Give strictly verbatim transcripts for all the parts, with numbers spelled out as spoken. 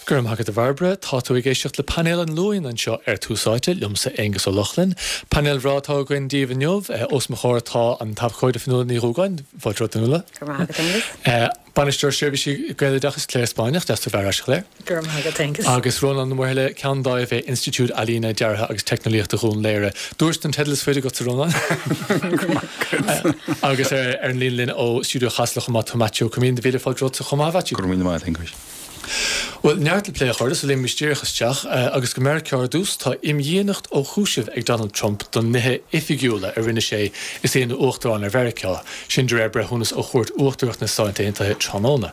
Go raibh maith agat a Bhairbre, tá tú ag éisteacht le painéal an Luain anseo ar Tús Áite liomsa Aengus Ó Lochlainn. Painéal bhreá atá againn daoibh inniu, os mo chomhair tá an t-abhcóide Fionnuala Ní Dhúgáin, fáilte romhat Fionnuala. Go raibh maith agat Aengus. Bainisteoir Seirbhísí Gaeloideachais Claire Spáinneach, deas tú bheith ar ais Claire. Go raibh maith agat Aengus. Agus Rónán Ó Muirthile, Ceann Dáimh Institiúid Ealaíne, Deartha agus Teicneolaíochta Dhún Laoghaire. Dúirt an teideal is faide agatsa Rónán. Agus ar an líne linn ó Stiúideo Chasla chomh maith tá Maitiú Ó Coimín, míle fáilte romhat chomh maith Mhaitiú. Go raibh míle maith Aengus. Well neart le plé a chairde so léimfidh díreach isteach agus go Meiriceá ar dtús tá imdhíonacht ó chúiseamh ag Donald Trump don nithe oifigiúla a rinne sé is é ina uachtarán ar Mheiriceá, sin de réir breithiúnas ó Chúirt Uachtarach na Stát Aontaithe tráthnóna.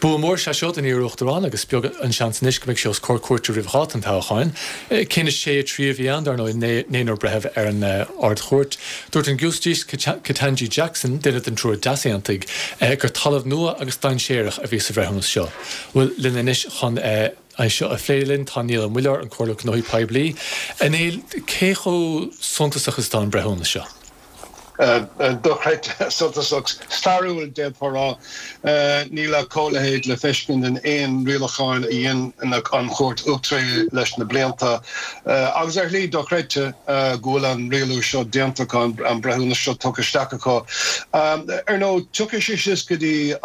Bua mór sé seo don iar-uachtarán agus beag an seans anois go mbeidh sé os comhair cúirte roimh dháta an toghcháin. Cinneadh sé a trí a bhí ann dar ndóigh naonúr breitheamh ar an Ard-Chúirt. Dúirt an Giúistís Ketanji Jackson, duine den triúr d'easaontaigh, gur talamh nua agus dainséarach a bhí sa bhreithiúnas seo. Well linn anois chun é seo a phlé linn tá Niall Ó Muilleoir an Comhairleoir Gnóthaí Poiblí. A Néill cé chomh suntasach is atá an breithiúnas seo? Dochreidte suntasach stairiúil d'fhéadfá rá níl a chomhleithéid le feiscint in aon rialacháin a dhein an Chúirt Uachtarach leis na blianta. Agus ar shlí dochreidte go bhfuil an rialú seo déanta an breithiúnas seo tugtha isteach acu. Ar ndóigh tiocfaidh sé síos go dtí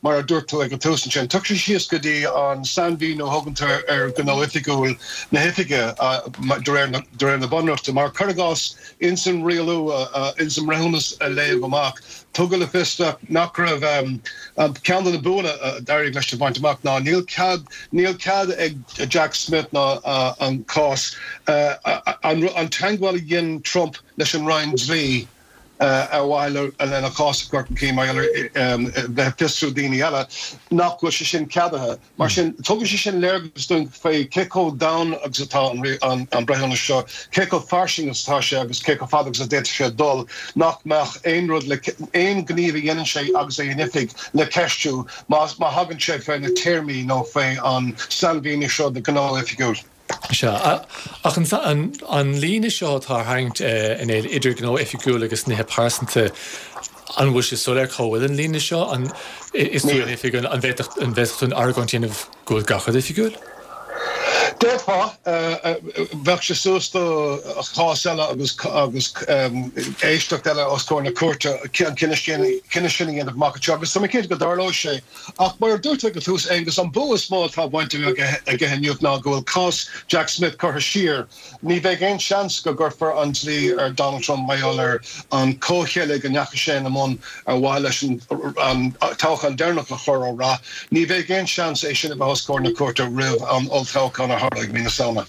mar a dúirt tú ag an tús ansin, tiocfaidh sé síos go dtí an sainmhíniú a thugantar ar gnó oifigiúil na hoifige de réir na bunreachta, mar cuir i gcás ins an rialú ins an mbreithiúnas a léadh amach, tugadh le fios nach raibh ceann de na buanna a d'éirigh leis a bhaint amach ná níl cead níl cead ag Jack Smith ná an cás an teagmháil a dhein Trump leis an Roinn Dlí ar mhaithe lena chás a chur chun cinn mar bheith fiosrú daoine eile nach bhfuil sé sin ceadaithe. Mar sin tugann sé sin léargas dúinn faoi cé chomh domhain agus atá an an breithiúnas seo, cé chomh fairsing agus atá sé agus cé chomh fada agus a d'fhéadfadh sé dul nach mbeadh aon rud le aon ghníomh a dhéanann sé agus é in oifig le ceistiú má má thagann sé fé na téarmaí nó fé an sainmhíniú seo de gnó oifigiúil. Sea, ach an, an, an líne seo atá tarraingthe a Néill idir gnó oifigiúil agus nithe pearsanta an bhfuil sé soiléir cá bhfuil an líne seo an is tú in oifig an bhféadfadh an bhféadfadh tú an argóint a dhéanamh go bhfuil gach rud oifigiúil? D'fhéadfá bheadh sé suas do chás eile agus agus éisteacht eile os comhair na cúirte an cinneadh sin cinneadh sin a dhéanamh amach anseo agus tá mé cinnte go dtarlóidh sé. Ach mar a dúirt ag an tús Aengus an bua is mó atá bainte aige inniu ná go bhfuil cás Jack Smith curtha siar. Ní bheidh aon seans go gcuirfear an dlí ar Donald Trump mar gheall ar an comhcheilg a ndeachaigh sé ina mbun ar mhaithe leis an toghchán deireanach a chur ó rath. Ní bheidh aon seans é sin a bheith os comhair na cúirte roimh an olltoghchán a tharlóidh mí na Samhna.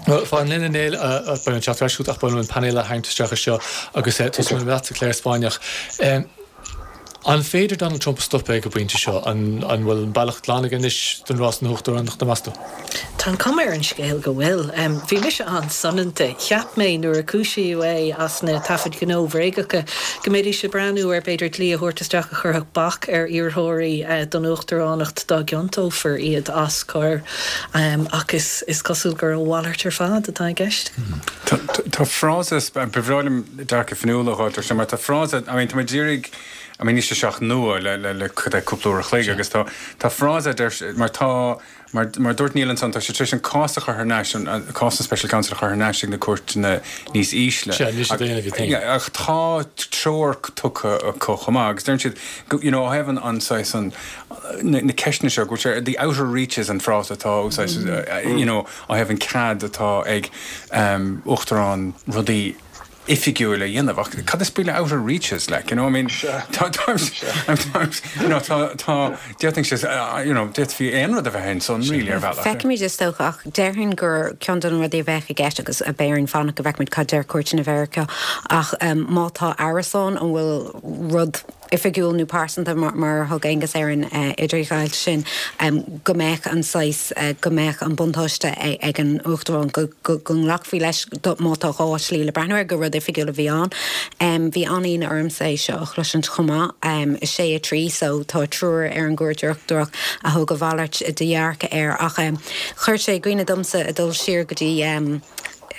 Well fan linn a Néill beidh an teacht ar ach b'fhéidir an painéal a tharraingt isteach seo agus tosóidh mé leatsa Claire Spáinneach. An féidir Donald Trump a stopadh ag an bpointe seo an an bhfuil an bealach glan aige anois don rás na huachtaránachta meas tú? Tá an chuma ar an scéal go bhfuil. Bhí mise an-soineanta. Cheap mé nuair a cúisíodh é as na taifid ghnó bhréagacha go mbeidís ag breathnú ar b'fhéidir dlí a thabhairt isteach a chuirfeadh bac ar iarrthóirí don uachtaránacht dá gciontófar iad as coir ach is is cosúil gur a mhalairt ar fad atá i gceist. Tá frása ba bhreá liom dearcadh Fionnuala a fháil mar tá frása I mean, tá díreach I mean, ní seach nua le le le cúpla uair a chloig agus tá tá frása mar tá mar mar dúirt Niall ansan tá sé tar éis an cás a chur thar n-ais an cás an special counsel a chur thar n-ais ag na cúirteanna níos ísle. Ach tá treoir tugtha acu chomh maith agus deir siad you know have an an an na ceisteanna seo go the outer reaches an frása atá úsáidte you know I have an cead atá ag um, uachtarán rudaí oifigiúil a dhéanamh ach cad is brí le outer reaches like you know I mean tá you know tá tá d'fhéadfadh sé uh, you know d'fhéadfaí aon rud a bheith ansan really ar bhealach. Feicimid is dócha ach déarfainn gur ceann de na rudaí a bheadh i gceist agus a bhéarn fanna go bhfeicimid cad deir cúirteanna Mheiriceá ach um, má tá amhras ann an bhfuil rud oifigiúil nó pearsanta mar, mar thug Aengus ar an uh, idirghabháil sin um, go mbeadh an saghas uh, go mbeadh an buntáiste ag an uachtarán go, go, go nglacfaí leis má tá dhá shlí le breathnú air go rud oifigiúil a bhí ann. Um, bhí an-ionadh ormsa é seo a chloisint chomh maith um, sé a trí so tá triúr ar an gCúirt Uachtarach a thug a mhalairt de dhearcadh air ach um, chuir sé i gcuimhne domsa a dul siar go dtí um,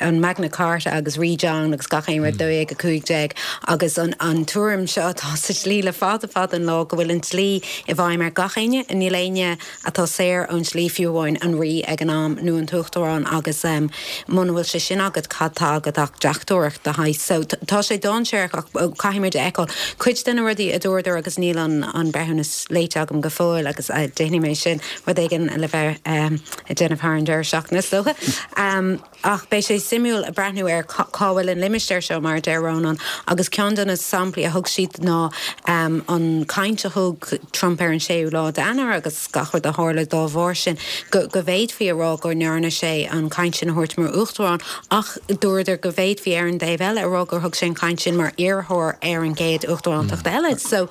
an Magna Carta agus Rí John agus gach aon rud dó dhéag a cúig déag agus an an tuairim seo atá sa dlí le fada fada an lá go bhfuil an dlí i bhfeidhm ar gach éinne, níl éinne atá saor ón dlí fiú amháin an rí ag an am nó an t-uachtarán agus um, muna bhfuil sé sin agat cad tá agat ach deachtóireacht de shaghas. So tá sé dainséarach ach caithfimid a fheiceáil. Cuid de na rudaí a dúradar agus níl an an breithiúnas léite agam go fóill agus uh, déanfaidh mé sin rud éigin le bheith um, ag déanamh thar an deireadh seachtaine is dócha. Um, ach beidh sé suimiúil a breathnú ar cá bhfuil an limistéar seo mar deir Rónán agus ceann de na samplaí a thug siad ná um, an caint a thug Trump ar an séú lá d'Eanáir agus gach rud a tharla dá bharr sin go, go bhféadfaí a rá go ndearna sé an caint sin a thabhairt mar uachtarán ach dúradar go bhféadfaí ar an dtaobh eile a rá gur thug sé an caint sin mar iarrthóir ar an gcéad uachtarántacht mm. eile. So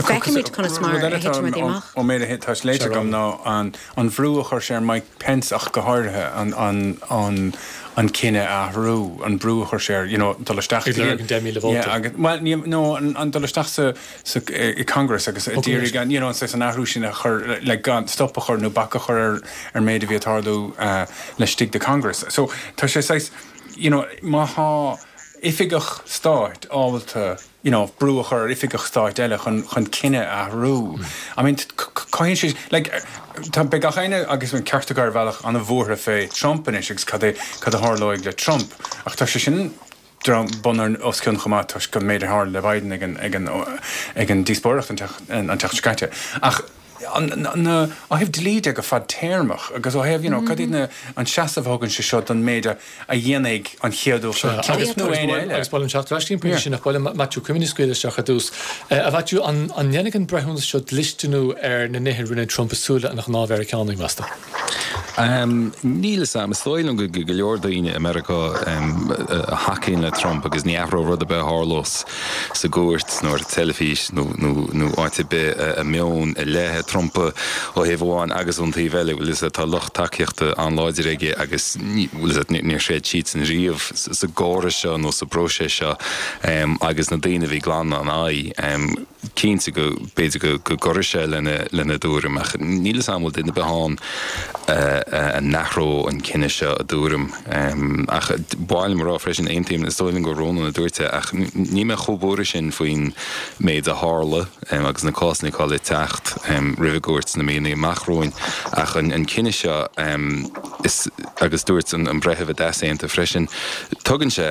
feicfimid conas mar a thiteann amach. Ó méid atá léite agam ná an an bhrú a chuir sé ar Mike Pence ach go háirithe an an an an cinneadh a athrú an brú a chuir sé you know dul isteach well no an dul isteach sa sa i Congress agus d'iarraidh an you know an athrú sin a chur le gan stop a chur nó bac a chur ar ar méid a bhí ag tarlú uh, laistigh de Congress. So tá sé saghas you know má tá oifigeach stáit ábalta you know, brú a chur ar oifigeach stáit eile chun chun cinneadh a athrú. Mm. I mean cothaíonn sé like tá beidh gach éinne agus an ceart acu ar bhealach an-bhuartha fé Trump anois agus cad é cad a tharlóidh le Trump. Ach tá sé sin bun ar os cionn chomh maith toisc an méid a tharla le Biden ag an ag an ag an díospóireacht an an tseachtain seo caite. Ach na ó thaobh dlí de go fadtéarmach agus ó thaobh you know, cad iad na an seasamh a thugann sé seo don méid a dhéanfaidh an chéad agus nó aon eile. Agus bhuel an seacht leis pointe sin ach bhuel Matthew Cuimíní scaoil isteach ar dtús. A Mhaitiú an an ndéanfaidh an breithiúnas seo dlisteanú ar na nithe a rinne Trump i súile an ghnáth-Mheiriceánaigh meas tú? Um, níl a fhios agam is dóigh liom go go leor daoine i Meiriceá um, a thacaíonn le Trump agus ní athródh rud ar bith a tharlós sa gcúirt nó ar teilifís nó, nó, nó áit ar bith a meon i leith Trump ó thaobh amháin agus ón taobh eile bhfuil tá lucht tacaíochta an-láidir aige agus níor chreid siadsan riamh sa gcóras seo nó sa bpróiseas seo um, agus na daoine bhí glan an aghaidh um, cinnte go b'fhéidir go go gcuirfidh sé lena lena dtuairim ach níl a fhios agam an bhfuil duine ar bith ann a n-athródh an cinneadh seo a dtuairim ach ba mhaith liom a rá freisin aontaím is dóigh liom gur Rónán a dúirt é ach níl mé chomh buartha sin faoin méid a tharla agus na cásanna atá le teacht roimh an gcúirt sna míonna amach romhainn ach an an cinneadh seo is agus dúirt an an breitheamh a d'easaontaigh freisin tugann sé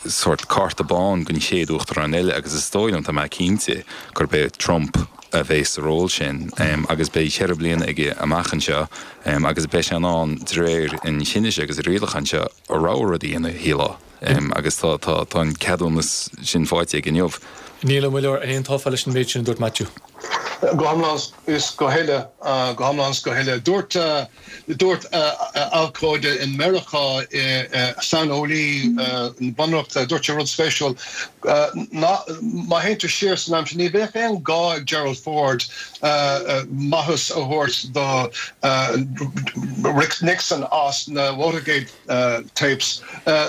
sórt cárta bán don chéad uachtarán eile agus is dóigh liom tá mé cinnte gurb é Trump a bheidh sa ról sin um, agus beidh ceithre bliana aige amach anseo um, agus beidh sé in ann de réir an chinnidh seo agus an rialacháin seo a rogha rud a dhéanamh shílfeá um, agus tá tá tá an ceadúnas sin faighte aige inniu. Niall Ó Muilleoir an aontófá leis an méid sin a dúirt Matthew. Go hiomlán is go huile go hiomlán is go huile. Dúirt dúirt abhcóide in Meiriceá saineolaí bunreachta dúirt sé rud spéisiúil ná má théann tú siar san am sin ní bheadh aon gá ag Gerald Ford maitheas a thabhairt do Rick Nixon as na Watergate tapes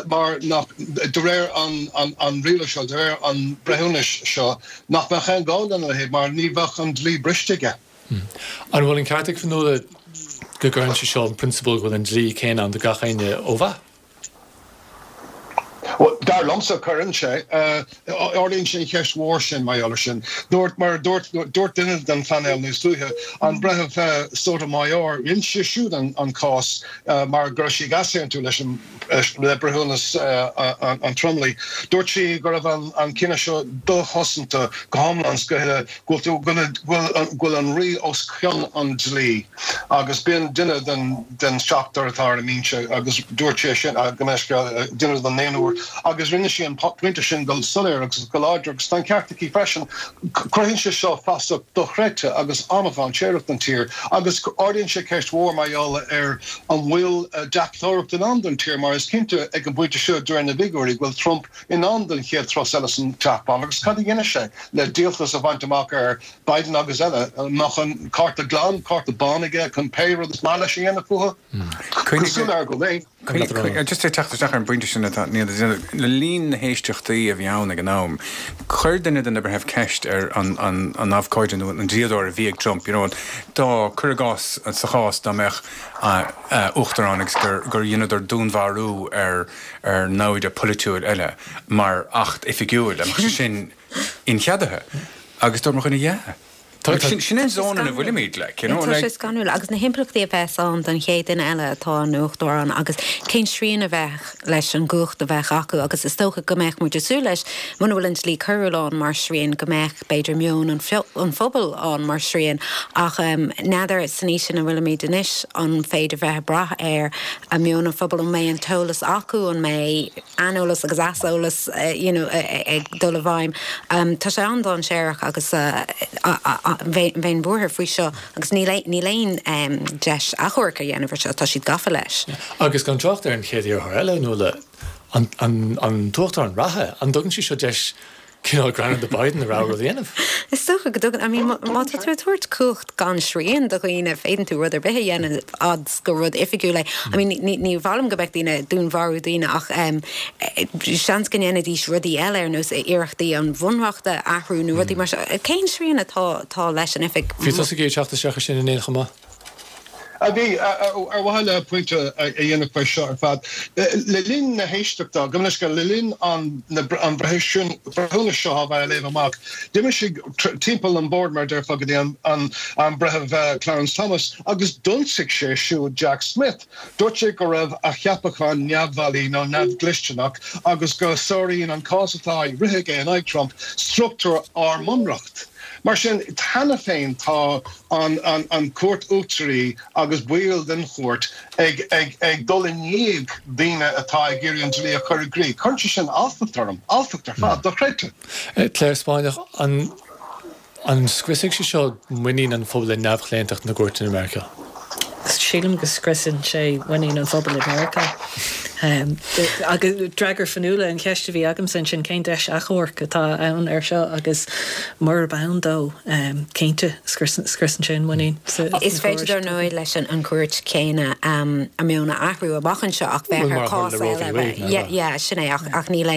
mar nach de réir an an riail seo de réir an breithiúnais seo nach mbeadh aon gá lena leithéid mar ní bheadh an dlí briste aige. An bhfuil an ceart ag Fionnuala go gcuireann sé seo an prionsabal go bhfuil an dlí céanna ann do gach éinne ó mhaith? Well, dar liomsa cuireann sé ardaíonn sé an cheist mhór sin mar gheall air sin. Dúirt mar dúirt dúirt duine den phainéal níos luaithe, an Breitheamh Sotomayor, rinne sí siúd an an cás mar go raibh sí ag easaontú leis an le breithiúnas an tromlaigh. Dúirt sí go raibh an an cinneadh seo dochosanta go hiomlán is go huile, go bhfuil go bhfuil an rí os cionn an dlí agus b'in duine den den seachtar atá ar an mbinse agus dúirt sé sin go meisce duine den naonúr agus rinne sí an pointe sin go soiléir agus go láidir agus tá an ceart aici freisin. Cruthaíonn sé seo fasach dochreidte agus an-dainséarach don tír agus ardaíonn sé ceist mhór mar gheall ar an bhfuil deachtóireacht i ndán don tír mar is cinnte ag an bpointe seo de réir na bhfigiúirí go bhfuil Trump i ndán don chéad turas eile san Teach Bán agus cad a dhéanfaidh sé le díoltas a bhaint amach ar Biden agus eile? An mbeadh an cárta glan, cárta bán aige chun pé rud is maith leis a dhéanamh fúthu? Cosúil le go mbeidh. Just ag teacht isteach ar an bpointe sin atá Niall ag déanamh, le linn na héisteachtaí a bhí ann ag an am, chuir duine de na breithimh ceist ar an an an abhcóide nó an dlíodóir a bhí ag Trump, you know, dá cuir i gcás sa chás dá mbeadh uachtarán agus gur gur dheineadar dúnmharú ar ar namhaid polaitiúil eile mar acht oifigiúil, an mbeadh sé sin incheadaithe? Agus dúirt mo dhuine, yeah. Sin an zón ina bhfuilimid, like, you know, Tá sé scanrúil agus na himpleachtaí a bheas ann don chéad duine eile atá ina uachtarán agus cén srian a bheadh leis an gcumhacht a bheadh acu agus is dócha go mbeadh muid ag súil leis muna bhfuil an dlí coiriúil ann mar srian go mbeadh b'fhéidir meon an an phobail ann mar srian ach n'fheadar san aois ina bhfuilimid anois an féidir bheith ag brath ar a meon an phobail an mbeidh an t-eolas acu an mbeidh aineolas agus easolas you know ag dul i bhfeidhm. Tá sé an-dainséarach agus bheinn buartha faoi seo agus níl níl aon deis achomharc a dhéanamh ar seo, tá siad gafa leis. Agus gan trácht ar an chéad iarrthóir eile nó le an an an t-uachtarán reatha, an dtugann sé seo deis cineál greanadh do Biden a rogha rud a dhéanamh? Is dócha go dtugann, I mean má tá tú ag tabhairt cumhacht gan srian do dhaoine, féadann tú rud ar bith a dhéanamh fhad is gur rud oifigiúil é. I mean ní ní mhaith liom go mbeadh daoine ag dúnmharú daoine ach seans go ndéanfaidís rudaí eile ar nós iarrachtaí an bhunreacht a athrú nó rudaí mar seo. Cén srian atá atá leis an oifig? Bhí tusa ag teacht isteach ar sin inné chomh maith. A bhí, ar mhaithe le pointe a dhéanamh faoi seo ar fad, le linn na héisteachta, gabh mo leithscéal, le linn an an breithiúnais seo a bheith á léamh amach, d'imigh sé timpeall an bord, mar a déarfá, go dtí an an Breitheamh Clarence Thomas agus d'ionsaigh sé siúd Jack Smith. Dúirt sé go raibh a cheapachán neamhbhailí nó neamhdhlisteanach agus go sáraíonn an cás atá á rith aige in aghaidh Trump struchtúr ár mbunreacht. Mar sin, cheana féin tá an Chúirt Uachtaraí agus baill den chúirt ag dul i ndiaidh daoine atá ag iarraidh an dlí a chur i gcrích. Cuireann sé sin alltacht orm, alltacht ar fad, dochreidte. Clare Spáinneach, an An scriosfaidh sé seo muinín an phobail i neamhchlaontacht na gcúirteanna i Meiriceá? Sílim go scriosann sé muinín an phobail i Meiriceá. Agus d'fhreagair Fionnuala an cheist a bhí agamsa ansin, cén deis achomhairc atá ann air seo agus murab ann dó, cinnte, scriosann sé an muinín sa Is féidir dar ndóigh leis an chúirt chéanna a meon a athrú amach anseo ach bheadh ar chás eile bheith, yeah, sin é ach níl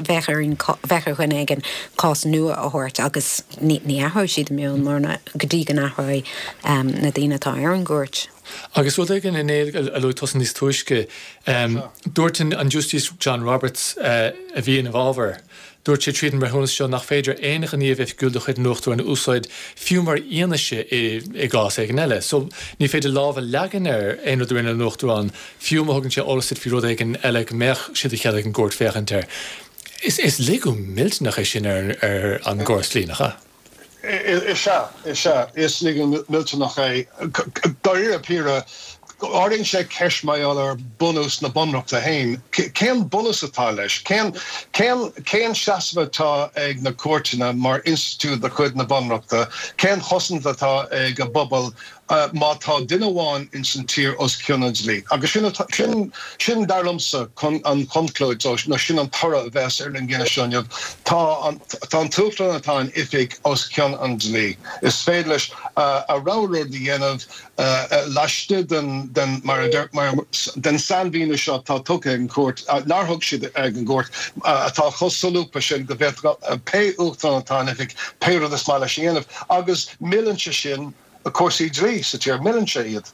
bheadh ar bheadh ar dhuine éigin cás nua a thabhairt agus ní athróidh siad a meon mar go dtí go n-athróidh na daoine atá ar an gcúirt. Agus rud éigin a Néill a luaigh tusa níos túisce, dúirt an Giúistís John Roberts a bhí ina bhfabhar, dúirt sé tríd an mbreithiúnas seo nach féidir aon ghníomh oifigiúil de chuid an Uachtaráin a úsáid fiú mar fhianaise i gcás éigin eile. So ní féidir lámh a leagan ar aon rud a rinne an Uachtarán fiú má thugann sé eolas duit faoi rud éigin eile go mbeadh sé de chead ag an gcúirt féachaint air. Is is laghú millteanach é sin ar ar an gcóras dlí, nach ea? Is ea, is ea, is laghú millteanach é. Dáiríre píre, ardaíonn sé ceist mar gheall ar bunús na Bunreachta féin. Cén bunús atá leis? Cén cén cén seasamh atá ag na cúirteanna mar institiúid de chuid na Bunreachta? Cén chosaint atá ag an bpobal má tá duine amháin ins an tír os cionn an dlí. Agus sin, sin, sin dar liomsa an chonclúid, nó sin an toradh a bheas ar an gcinneadh seo inniu. Tá an, tá an tUachtarán atá in oifig os cionn an dlí. Is féidir leis a rogha rud a dhéanamh laistigh den, den, mar a deir, mar, den sainmhíniú seo atá tugtha ag an gcúirt, nár thug siad ag an gcúirt, atá chomh solúbtha sin go bhféadfadh pé Uachtarán atá in oifig pé rud is maith leis a dhéanamh. Agus milleann sé sin cúrsaí dlí sa tír, milleann sé iad.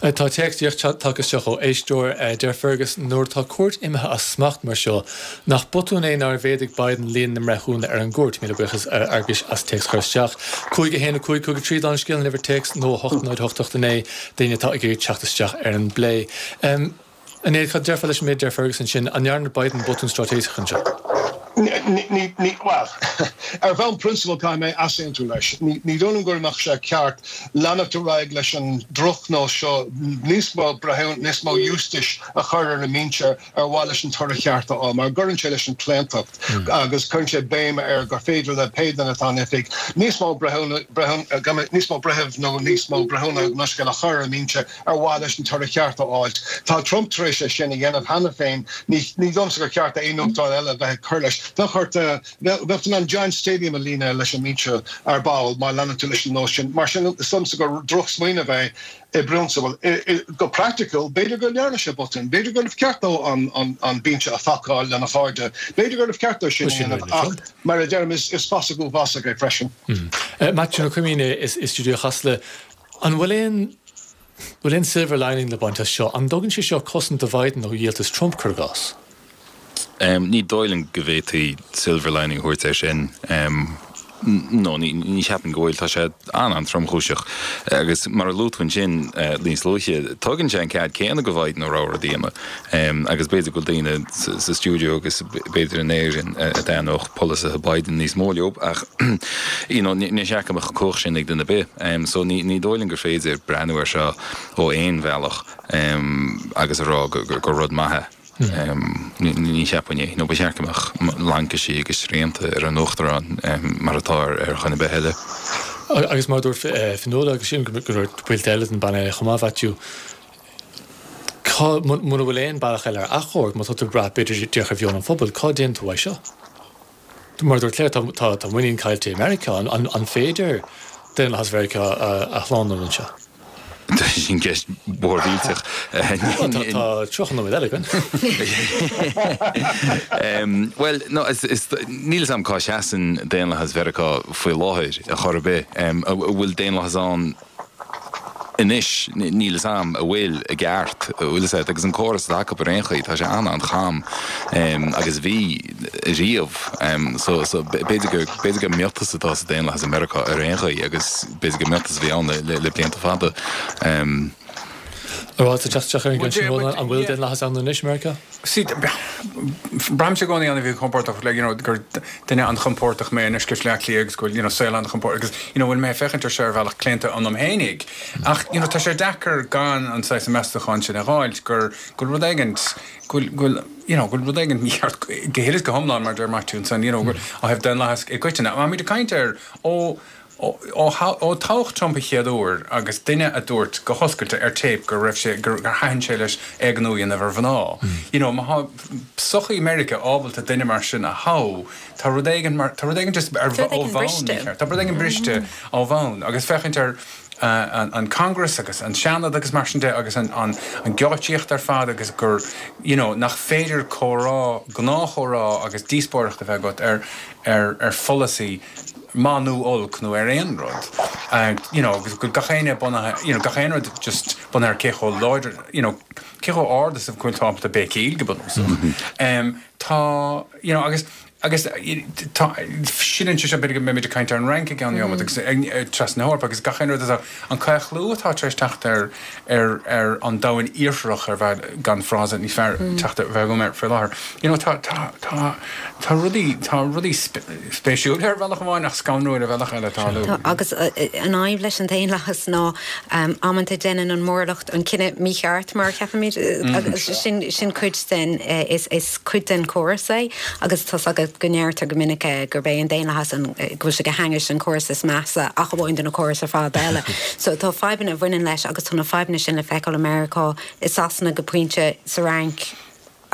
Tá téacs díreach tagtha isteach ó éisteoir. Deir Fergus, Nuair atá cúirt imithe as smacht mar seo, nach botún é nár mhéadaigh Biden líon na mbreithiúna ar an gcúirt? Míle buíochas a Fhearghuis as téacs a chur isteach. Cúig a haon a cúig cúig a trí don scéal, an uimhir téacs, nó a hocht náid a hocht a hocht a naoi d'éinne atá ag iarraidh teacht isteach ar an bplé. A Néill, cad a déarfá leis an méid a deir Fergus ansin? An ndearna Biden botún straitéiseach anseo? Ní, ní, bhuel, ar bhonn prionsabail caithfidh mé easaontú leis. Ní, ní dóigh liom go mbeadh sé ceart leanacht ar aghaidh leis an drochnós seo níos mó breithiúna, níos mó giúistis a chur ar an mbinse ar mhaithe leis an toradh ceart a fháil, mar cuireann sé leis an chlaontacht agus cuireann sé béim ar gur féidir le pé duine atá in oifig níos mó breithiúna, breithiúna, níos mó breitheamh nó níos mó breithiúna nó a chur ar an mbinse ar mhaithe leis an toradh ceart a fháilt. Tá Trump tar éis é sin a dhéanamh cheana féin. Ní dóigh liomsa gur cheart d'aon uachtarán eile a bheith ag cur leis. Bheadh ort, bheadh tú in ann Giant Stadium a líonadh leis an mbinse ar ball má leanann tú leis an nós sin. Mar sin, is dóigh liomsa gur drochsmaoineamh é i bprionsabal. Go praiticiúil, b'fhéidir go ndearna sé botún, b'fhéidir gurbh cheart dó an binse a phacáil lena chairde, b'fhéidir gurbh cheart dó sin a dhéanamh ach mar a deirim is fasach uafásach é freisin. Maitiú Ó Coimín i stiúideo Chasla, an bhfuil aon bhfuil aon silver lining le baint as seo? An dtugann sé seo cosaint do Biden ó dhíoltas Trump, cuir i gcás? Ní dóigh liom go bhféadfaí silver lining a thabhairt air sin. No, ní cheapaim go bhfuil. Tá sé an-an-tromchúiseach. Agus mar a luaigh tú ansin níos luaithe, tugann sé an cead céanna do Biden a rogha rud a dhéanamh. Agus b'fhéidir go bhfuil daoine sa stiúideo agus b'fhéidir in Éirinn a dtaitneodh polasaithe Biden níos mó leo ach you know ní cheart go mbeadh an chumhacht sin ag duine ar bith. So ní dóigh liom gur féidir breathnú air seo ó aon bhealach agus a rá gur rud maith é. Ní cheapaim é. Nó ba cheart go mbeadh laincisí agus srianta ar an Uachtarán mar atá ar dhuine ar bith eile. Agus mar a dúirt Fionnuala, agus sílim go dúirt baill eile den bpainéal chomh maith, Mhaitiú, cá, mura bhfuil aon bealach eile ar achomharc, má tá tú ag brath b'fhéidir díreach ar mheon an phobail, cá dtéann tú uaidh seo? Mar a dúirt Claire, tá tá muinín caillte i Meiriceá. An féidir daonlathas Mheiriceá a shlánú anseo? Sin ceist mhór mhillteach. Tá tríocha nóiméad eile againn. Bhuel, no, níl a fhios agam cá seasann daonlathas Mheiriceá faoi láthair ar chor ar bith. An bhfuil daonlathas ann anois? Níl a fhios agam an bhfuil i gceart, an bhfuil a fhios agat, agus an córas atá acu ar aon chaoi, tá sé an-an-cham agus bhí riamh. So, so b'fhéidir gur, b'fhéidir gur miotas atá sa daonlathas i Meiriceá ar aon chaoi agus b'fhéidir gur miotas a bhí ann le, le blianta fada. An bhfuil tú teacht isteach ar an gceann sin, Rónán, an bhfuil daonlathas ann anois i Meiriceá? See, braithimse i gcónaí an-mhíchompordach le, you know, gur duine an-chompordach mé anois i mBaile Átha Cliath agus go bhfuil, you know, saol an-chompordach agus, you know, bhfuil mé ag féachaint ar seo ar bhealach claonta ionam fhéinig. Ach, you know, tá sé deacair gan an saghas meastachán sin a dh'fháilt gur, go bhfuil rud éigint, go bhfuil, go bhfuil, you know, go bhfuil rud éigint mícheart go huile is go hiomlán, mar a deir Maitiú ansan, you know, go bhfuil, ó thaobh daonlathas i gcoitinne. Táimid ag caint ar ó, ó, ó, ó toghadh Trump an chéad uair agus duine a dúirt go hoscailte ar téip go raibh sé, gur, gur thaitin sé leis éigniú a dhéanamh ar mhná. You know, má tá sochaí Meiriceá ábalta duine mar sin a thoghadh, tá rud éigin mar, tá rud éigin just ar, Tá rud ó éigin bhonn briste. mícheart. Tá rud éigin briste ó bhonn agus féachaint ar, an Congress agus an Seanad agus mar sin de agus an an geáitsíocht ar fad agus gur you know nach féidir comhrá, gnáthchomhrá agus díospóireacht a bheith agat ar ar ar pholasaí maith nó olc nó ar aon rud you know agus go gach éinne bunaithe you know gach aon rud just bunaithe ar cé chomh láidir you know cé chomh ard is a bhfuil tú ábalta béicíl go bunúsach. Tá you know agus Agus tá, sin seo, b'fhéidir go mbeimid ag caint ar an Fhrainc i gceann neomat agus trasna na hEorpa agus gach aon rud atá, an claochlú atá tar éis teacht ar, ar, ar an domhan iartharach ar bhealach, gan frása níos fearr teacht a bheith agam air faoi láthair. You know, tá, tá, tá, tá rudaí, tá rudaí spéisiúla ar bhealach amháin ach scanrúil ar bhealach eile ag tarlú. Tá, agus an fhadhb leis an daonlathas ná amanta déanann an mórlucht an cinneadh mícheart mar a cheapaimid agus sin, sin cuid den, is, is cuid den chóras é agus tá's agat go ndeirtear go minic gurb é an daonlathas an, go bhfuil sé go hainnis an córas is measa ach amháin de na córais ar fad eile. So tá fadhbanna a bhaineann leis agus tá na fadhbanna sin le feiceáil i Meiriceá, i Sasana go pointe, sa Fhrainc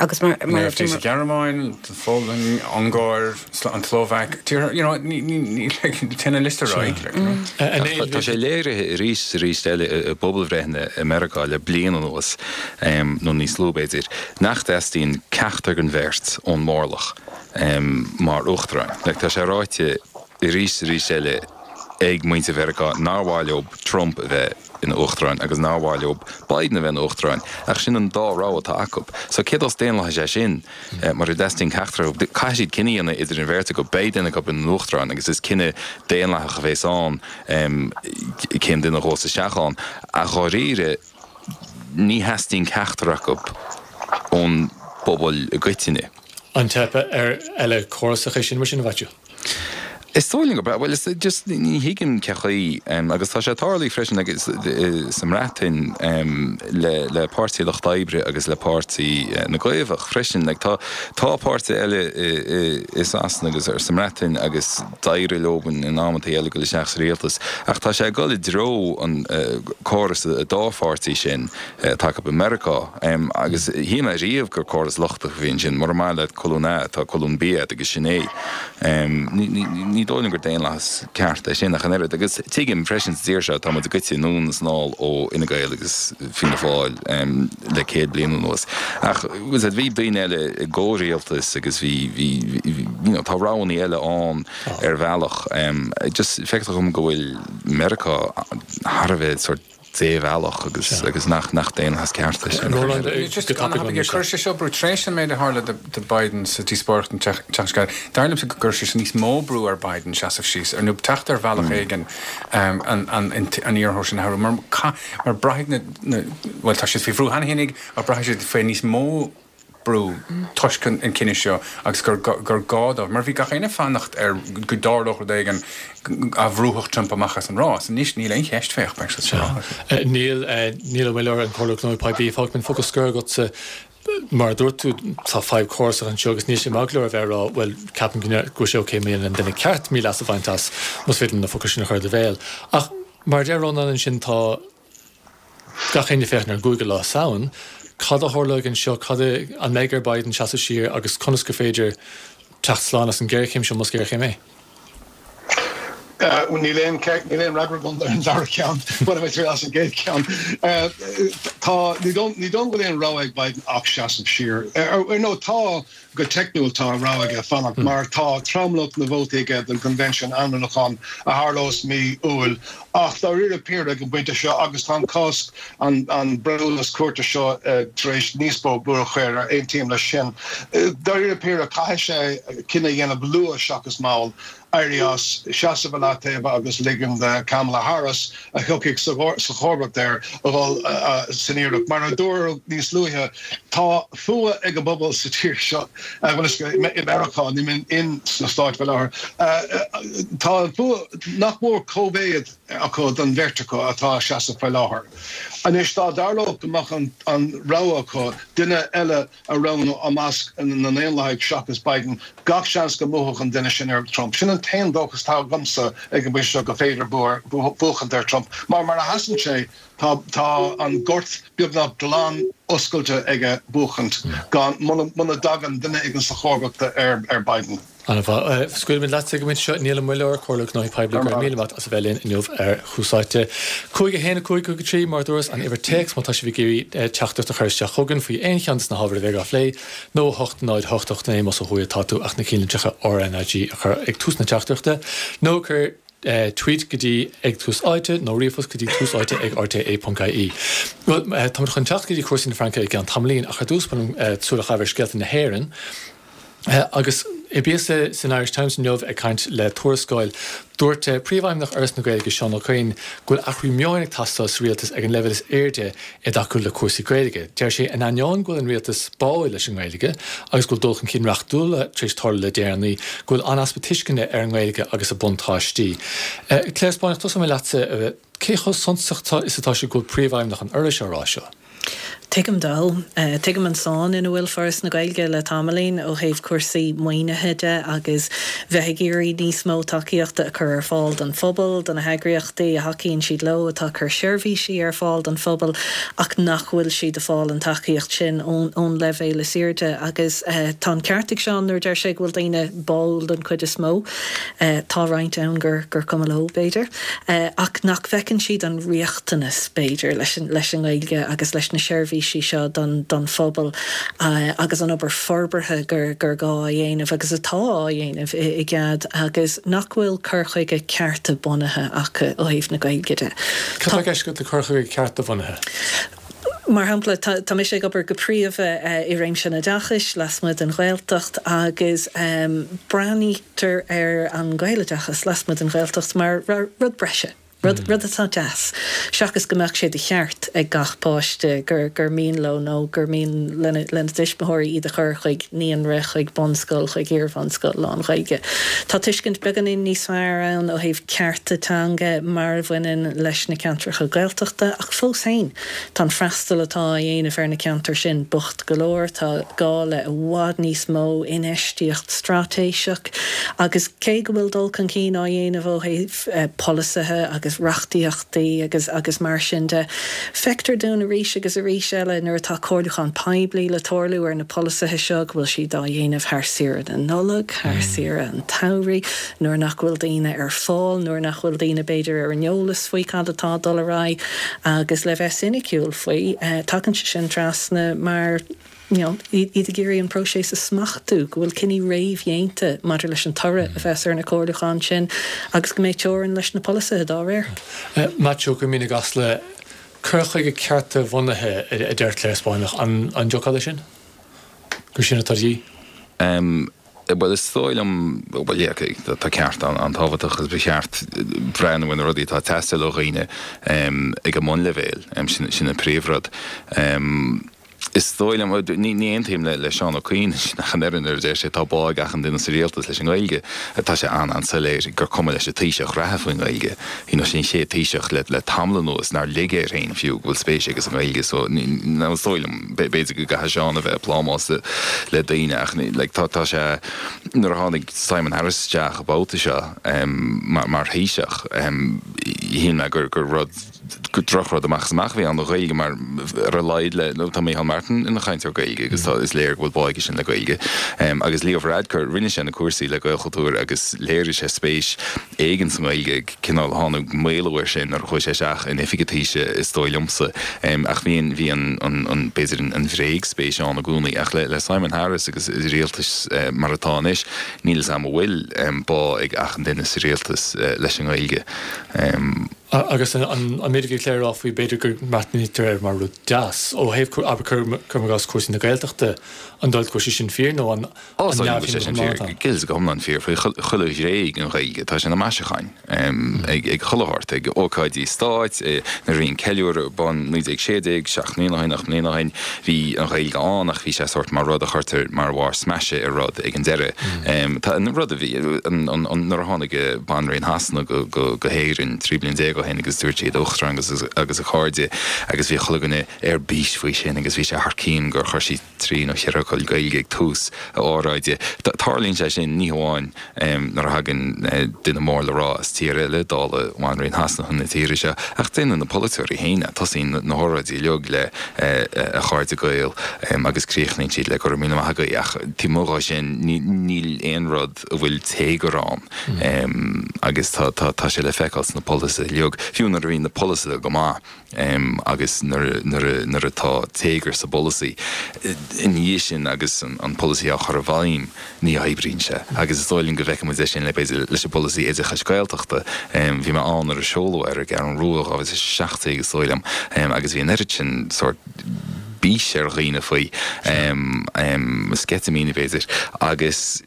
agus mar, mar, AfD sa Ghearmáin, sa Pholainn, Ungáir, an tSlóvaic, tíortha, you know, ní, ní, ní, like, téann an liosta ar aghaidh, like, you know. Ach tá sé léirithe arís is arís eile i bpobalbhreitheanna i Meiriceá le bliain anuas, nó níos lú b'fhéidir, nach dteastaíonn ceachtar den bheirt ón mórlach mar uachtarán. Like, tá sé ráite arís is arís eile ag muintir Mheiriceá nár mhaith leo Trump a bheith ina uachtarán agus nár mhaith leo Biden a bheith ina uachtarán, ach sin an dá rogha atá acu. So cé dós daonlathas é sin? Mura dteastaíonn ceachtar acu, caithfidh siad cinneadh a dhéanamh idir an bheirt acu, beidh duine acu ina n-uachtarán agus is cinneadh daonlathach a bheas ann cén duine a ghabhfas isteach ann. Ach dháiríre, ní theastaíonn ceachtar acu ón bpobal i gcoitinne. An teip ar eile córasach é sin mar sin, a Mhaitiú? Is dóigh liom go bhuel is just ní thuigim cén chaoi agus tá sé tarlaithe freisin agus sa mBreatain le le Páirtí Lucht Oibre agus le Páirtí na gCaomhach freisin. Like tá tá páirtí eile i Sasana agus ar sa mBreatain agus d'éirigh leo in amantaí eile dul isteach sa rialtas ach tá sé ag dul i dtreo an córas dá pháirtí sin atá acu i Meiriceá agus shíl mé riamh gur córas lochtach a bhí ansin mura maith leat colún A tá colún B agat agus sin é. Ní dóigh liom gur daonlathas ceart é sin ach an oiread agus tuigim freisin sa tír seo tá muid goite anonn is anall ó Fhine Gael agus Fianna Fáil le céad bliain anuas. Ach bhí daoine eile i gcomhrialtas agus bhí bhí you know tá roghanna eile ann ar bhealach. Just feictear dom go bhfuil Meiriceá thar a bheith sort débhealach agus agus nach nach daonlathas ceart é sin. Roland, go tapaidh an Chuir sé seo brú tar éis an méid a tharla do Biden sa díospóireacht an tseachtain seo caite. Dar liomsa go gcuir sé sin níos mó brú ar Biden seasamh síos ar nó teacht ar bhealach éigin an an an iarrthóir sin a athrú mar mar braithfidh na bhuel tá siad faoi bhrú cheana féinig ach braithfidh siad faoi níos mó brú toisc an cinneadh seo agus gur gur gá dóibh, mar bhí gach éinne ag fanacht ar go dtarlódh rud éigin a bhrúfadh Trump amach as an rás. Anois níl aon cheist fé ach beidh sé sa rás. Níl, Niall Ó Muilleoir, an Comhairleoir Gnóthaí Poiblí, fágfaidh mé an focal scoir agatsa. Mar a dúirt tú, tá fadhb chórasach anseo agus níl sé maith go leor a bheith ag rá, bhuel, ceapaim go bhfuil sé ok má dhéanann an duine ceart míleas a bhaint as, más féidir liom na focail sin a chur i do bhéal. Ach mar a deir Rónán ansin, tá gach éinne ag féachaint ar an gcúigiú lá Samhain. Cad a tharlóidh anseo? Cad a, an mbeidh ar Biden seasamh siar agus conas gur féidir teacht slán as an ghéarchéim seo, más géarchéim é? Níl aon níl aon fhreagra agam ar an dara ceann. Bainfidh mé triail as an gcéad cheann. Tá, ní dóigh ní dóigh go bhfuil aon rogha ag Biden ach seasamh siar. Ar ndóigh tá, Go teicniúil tá an rogha aige fanacht mar tá tromlach na vótaí aige don Convention ainmniúcháin a tharlós mí Iúil ach dáiríre píre ag an bpointe seo agus tá an cás, an breithiúnas cúirte seo tar éis níos mó brú a chur air, aontaím leis sin. Dáiríre píre caithfidh sé cinneadh a dhéanamh luath seachas mall. éirí as, seasamh i leataobh agus ligean do Kamala Harris, a thiocfaidh sa chomharbacht air, a dhul san iarracht. Mar a dúradh níos luaithe, tá fuath ag an bpobal sa tír seo, bhuel, i Meiriceá, níl mé in sna Stáit faoi láthair, tá an fuath nach mór cóimhéid acu don bheirt acu atá ag seasamh faoi láthair. Anois, dá dtarlódh go mbeadh an rogha acu duine eile a roghnú i measc na nDaonlathaigh seachas Biden, gach seans go mbuafadh an duine sin ar Trump. Sin an t-aon dóchas atá agamsa ag an bpointe seo go féidir buachaint ar Trump. Mar mar a sheasann sé, tá tá an gort beagnach glan oscailte aige buachaint gan muna dtagann duine éigin sa chomharbacht ar ar Biden. An-mhaith. Scaoilfimid leatsa ag an bpointe seo. Niall Ó Muilleoir, Comhairleoir Gnóthaí Poiblí, go raibh míle maith as a bheith linn inniu ar Thús Áite. Cúig a haon, a cúig, cúig a trí, mar a dúras, an uimhir téacs má tá sibh ag iarraidh teachtaireacht a chur isteach chugainn faoi aon cheann de na hábhair a bheidh á phlé, nó a hocht náid hocht hocht naoi más ó thuaidh atá tú ach na cinnlitreacha RnaG a chur ag tús na teachtaireachta, nó cuir tweet go dtí ag Tús Áite nó ríomhphost go dtí tús áite ag rte ponc ie. Bhuel, táimid chun teacht go dtí cúrsaí na Fraince i gceann tamaillín ach ar dtús ba mhaith liom súil a chaitheamh ar scéalta na hÉireann. Agus i bpíosa san Irish Times inniu ag caint le Tuarascáil, dúirt Príomhfheidhmeannach Fhoras na Gaeilge, Seán Ó Coinn, go bhfuil athrú meoin ag teastáil sa rialtas ag an leibhéal is airde i dtacú le cúrsaí Gaeilge. Deir sé, in ainneoin go bhfuil an rialtas báúil leis an nGaeilge agus go bhfuil dul chun cinn reachtúla tar éis tarlú le déanaí, go bhfuil an-easpa tuisceana ar an nGaeilge agus a buntáistí. Clare Spáinneach, tosóidh mé leatsa. Cé chomh suntasach is atá sé go bhfuil Príomhfheidhmeannach an Fhorais á rá seo? Tuigim dó. Tuigim an sáinn ina bhfuil Foras na Gaeilge le tamaillín ó thaobh cúrsaí maoinithe de agus bheith ag iarraidh níos mó tacaíochta a chur ar fáil don phobal, do na heagraíochtaí a thacaíonn siad leo atá ag cur seirbhísí ar fáil don phobal ach nach bhfuil siad ag fáil an tacaíocht sin ón leibhéal is airde. Agus tá an ceart ag Seán nuair a deir sé go bhfuil daoine báúil don chuid is mó. Tá roinnt ann gur gur cuma leo, b'fhéidir, ach nach bhfeiceann siad an riachtanas, b'fhéidir, leis an leis an nGaeilge agus leis na seirbhísí seo don don phobal agus an obair forbartha gur gur gá a dhéanamh agus atá á dhéanamh i i gcead agus nach bhfuil cur chuige cearta-bhunaithe acu ó thaobh na Gaeilge de. Cad tá i gceist agat le cur chuige cearta-bhunaithe? Mar shampla, tá mise ag obair go príomha i réimse an oideachais lasmuigh den Ghaeltacht agus breathnaítear ar an Ghaeloideachas lasmuigh den Ghaeltacht mar rud breise. Rud, rud atá deas. Seachas go mbeadh sé de cheart ag gach páiste gur, gur mian leo nó gur mian lena, lena dtuismitheoirí iad a chur chuig naíonra, chuig bunscoil, chuig iarbhunscoil lán-Ghaeilge. Tá tuiscint beagáinín níos fearr ann ó thaobh cearta teanga mar a bhaineann leis na ceantracha Gaeltachta, ach fós féin, tá an freastal atá á dhéanamh ar na ceantair sin bocht go leor, tá gá le i bhfad níos mó infheistíocht straitéiseach agus cé go bhfuil dul chun cinn á dhéanamh ó thaobh polasaithe agus reachtaíochtaí agus agus mar sin de, feictear dúinn arís agus arís eile nuair atá comhairliúchán poiblí le tarlú ar na polasaithe seo go bhfuil siad á dhéanamh thar saoire na Nollag, thar saoire an tsamhraidh, nuair nach bhfuil daoine ar fáil, nuair nach bhfuil daoine b'fhéidir ar an eolas faoi cad atá ag dul ar aghaidh agus le bheith soiniciúil faoi, tagann sé sin trasna mar you know, iad ag iarraidh an próiseas a smachtú, go bhfuil cinní réamhdhéanta maidir leis an toradh a bheas ar na comhairliúcháin sin agus go mbeidh teorainn leis na polasaithe dá réir. Maitiú Ó Coimín i gCasla, cur chuige cearta-bhunaithe a deir Clare Spáinneach, an dtiocfá leis sin? Gur sin atá de dhíth? Bhuel, is dóigh liom, bhuel, yeah, tá ceart an-tábhachtach agus ba cheart breathnú ar na rudaí atá ag teastáil ó dhaoine ag an mbunleibhéal, sin an príomhrud. Is dóigh liom, ní aontaím le Seán Ó Coinn ach an oiread nuair a deir sé tá bá ag achan duine sa rialtas leis an nGaeilge. Tá sé an-an-soiléir gur cuma leis an Taoiseach reatha faoin nGaeilge. You know, sin an chéad Taoiseach le le tamall anuas nár lig air féin fiú go bhfuil spéis aige sa nGaeilge so now is dóigh liom, b'fhéidir go gcaithfidh Seán a bheith ag plámás le daoine ach like tá tá sé nuair a tháinig Simon Harris isteach an babhta seo mar mar Thaoiseach shíl mé gur gur rud gur drochrud amach is amach a bhí ann don Ghaeilge mar ar a laghad le nó tá Micheál Martin ina chainteoir Gaeilge agus tá is léir go bhfuil bá aige sin le Gaeilge. Agus Leo Varadkar, rinne sé na cúrsaí le Gaelchultúr agus léirigh sé spéis éigin sa nGaeilge, cineál tháinig maolú air sin nuair a chuaigh sé isteach in oifig an Taoisigh is dóigh liomsa. Ach bhí an bhí an an an b'fhéidir an bhréagspéis ann i gcónaí ach le le Simon Harris agus rialtas mar atá anois níl 'fhios a'm an bhfuil bá ag achan duine sa rialtas leis an nGaeilge. Agus an méid a bhí Clare a rá faoi, b'fhéidir go mbreathnaítear air mar rud deas, ó thaobh, abair, cuirim i gcás, cúrsaí na Gaeltachta, an dóigh leat go bhfuil sé sin fíor nó an Ó, is dóigh liom go bhfuil sé sin fíor, go go hiomlán fíor faoi chuile ghné den Ghaeilge. Tá sé ina maisiúcháin ag ag chuile shórt, ag ócáidí stáit, nuair a bhí an ceiliúradh ar bun naoi déag sé déag, seacht mbliana ó shin, ocht mbliana ó shin, bhí an Ghaeilge ann ach bhí sé sórt mar rud a chuirtear mar bharr smaise ar rud ag an deireadh. Tá an rud a bhí, nuair a tháinig Banríon Shasana go go hÉirinn trí bliana déag ó shin agus dúirt sí Uachtarán agus agus a chairde agus bhí chuile dhuine ar bís faoi sin agus bhí sé thar cionn gur chuir sí trí nó cheithre fhocal Gaeilge ag tús a óráide. Tarlaíonn sé sin ní hamháin nuair a thagann duine mór le rá as tír eile, dála Bhanríon Shasana chun na tíre seo, ach déanann na polaiteoirí féin é. Tosaíonn na hóráidí uilig le A chairde Gael agus críochnaíonn siad le Go raibh míle maith agaibh ach taobh amuigh dhó sin níl aon rud a bhfuil téagar ann agus tá tá sé le feiceáil sna polasaithe uilig, fiú nuair a bhíonn na polasaithe go maith agus nuair nuair nuair atá téagar sa bpolasaí ina dhiaidh sin agus an polasaí á chur i bhfeidhm ní oibríonn sé agus is dóigh liom go bhfeicfidh muid é sin le b'fhéidir leis an bpolasaí oideachais Gaeltachta. Bhí mé ann nuair a seoladh é ar an gCeathrú Rua dhá mhíle is a seacht déag is dóigh liom agus bhí an oiread sin sórt bís ar dhaoine faoi, sceitimíní b'fhéidir, agus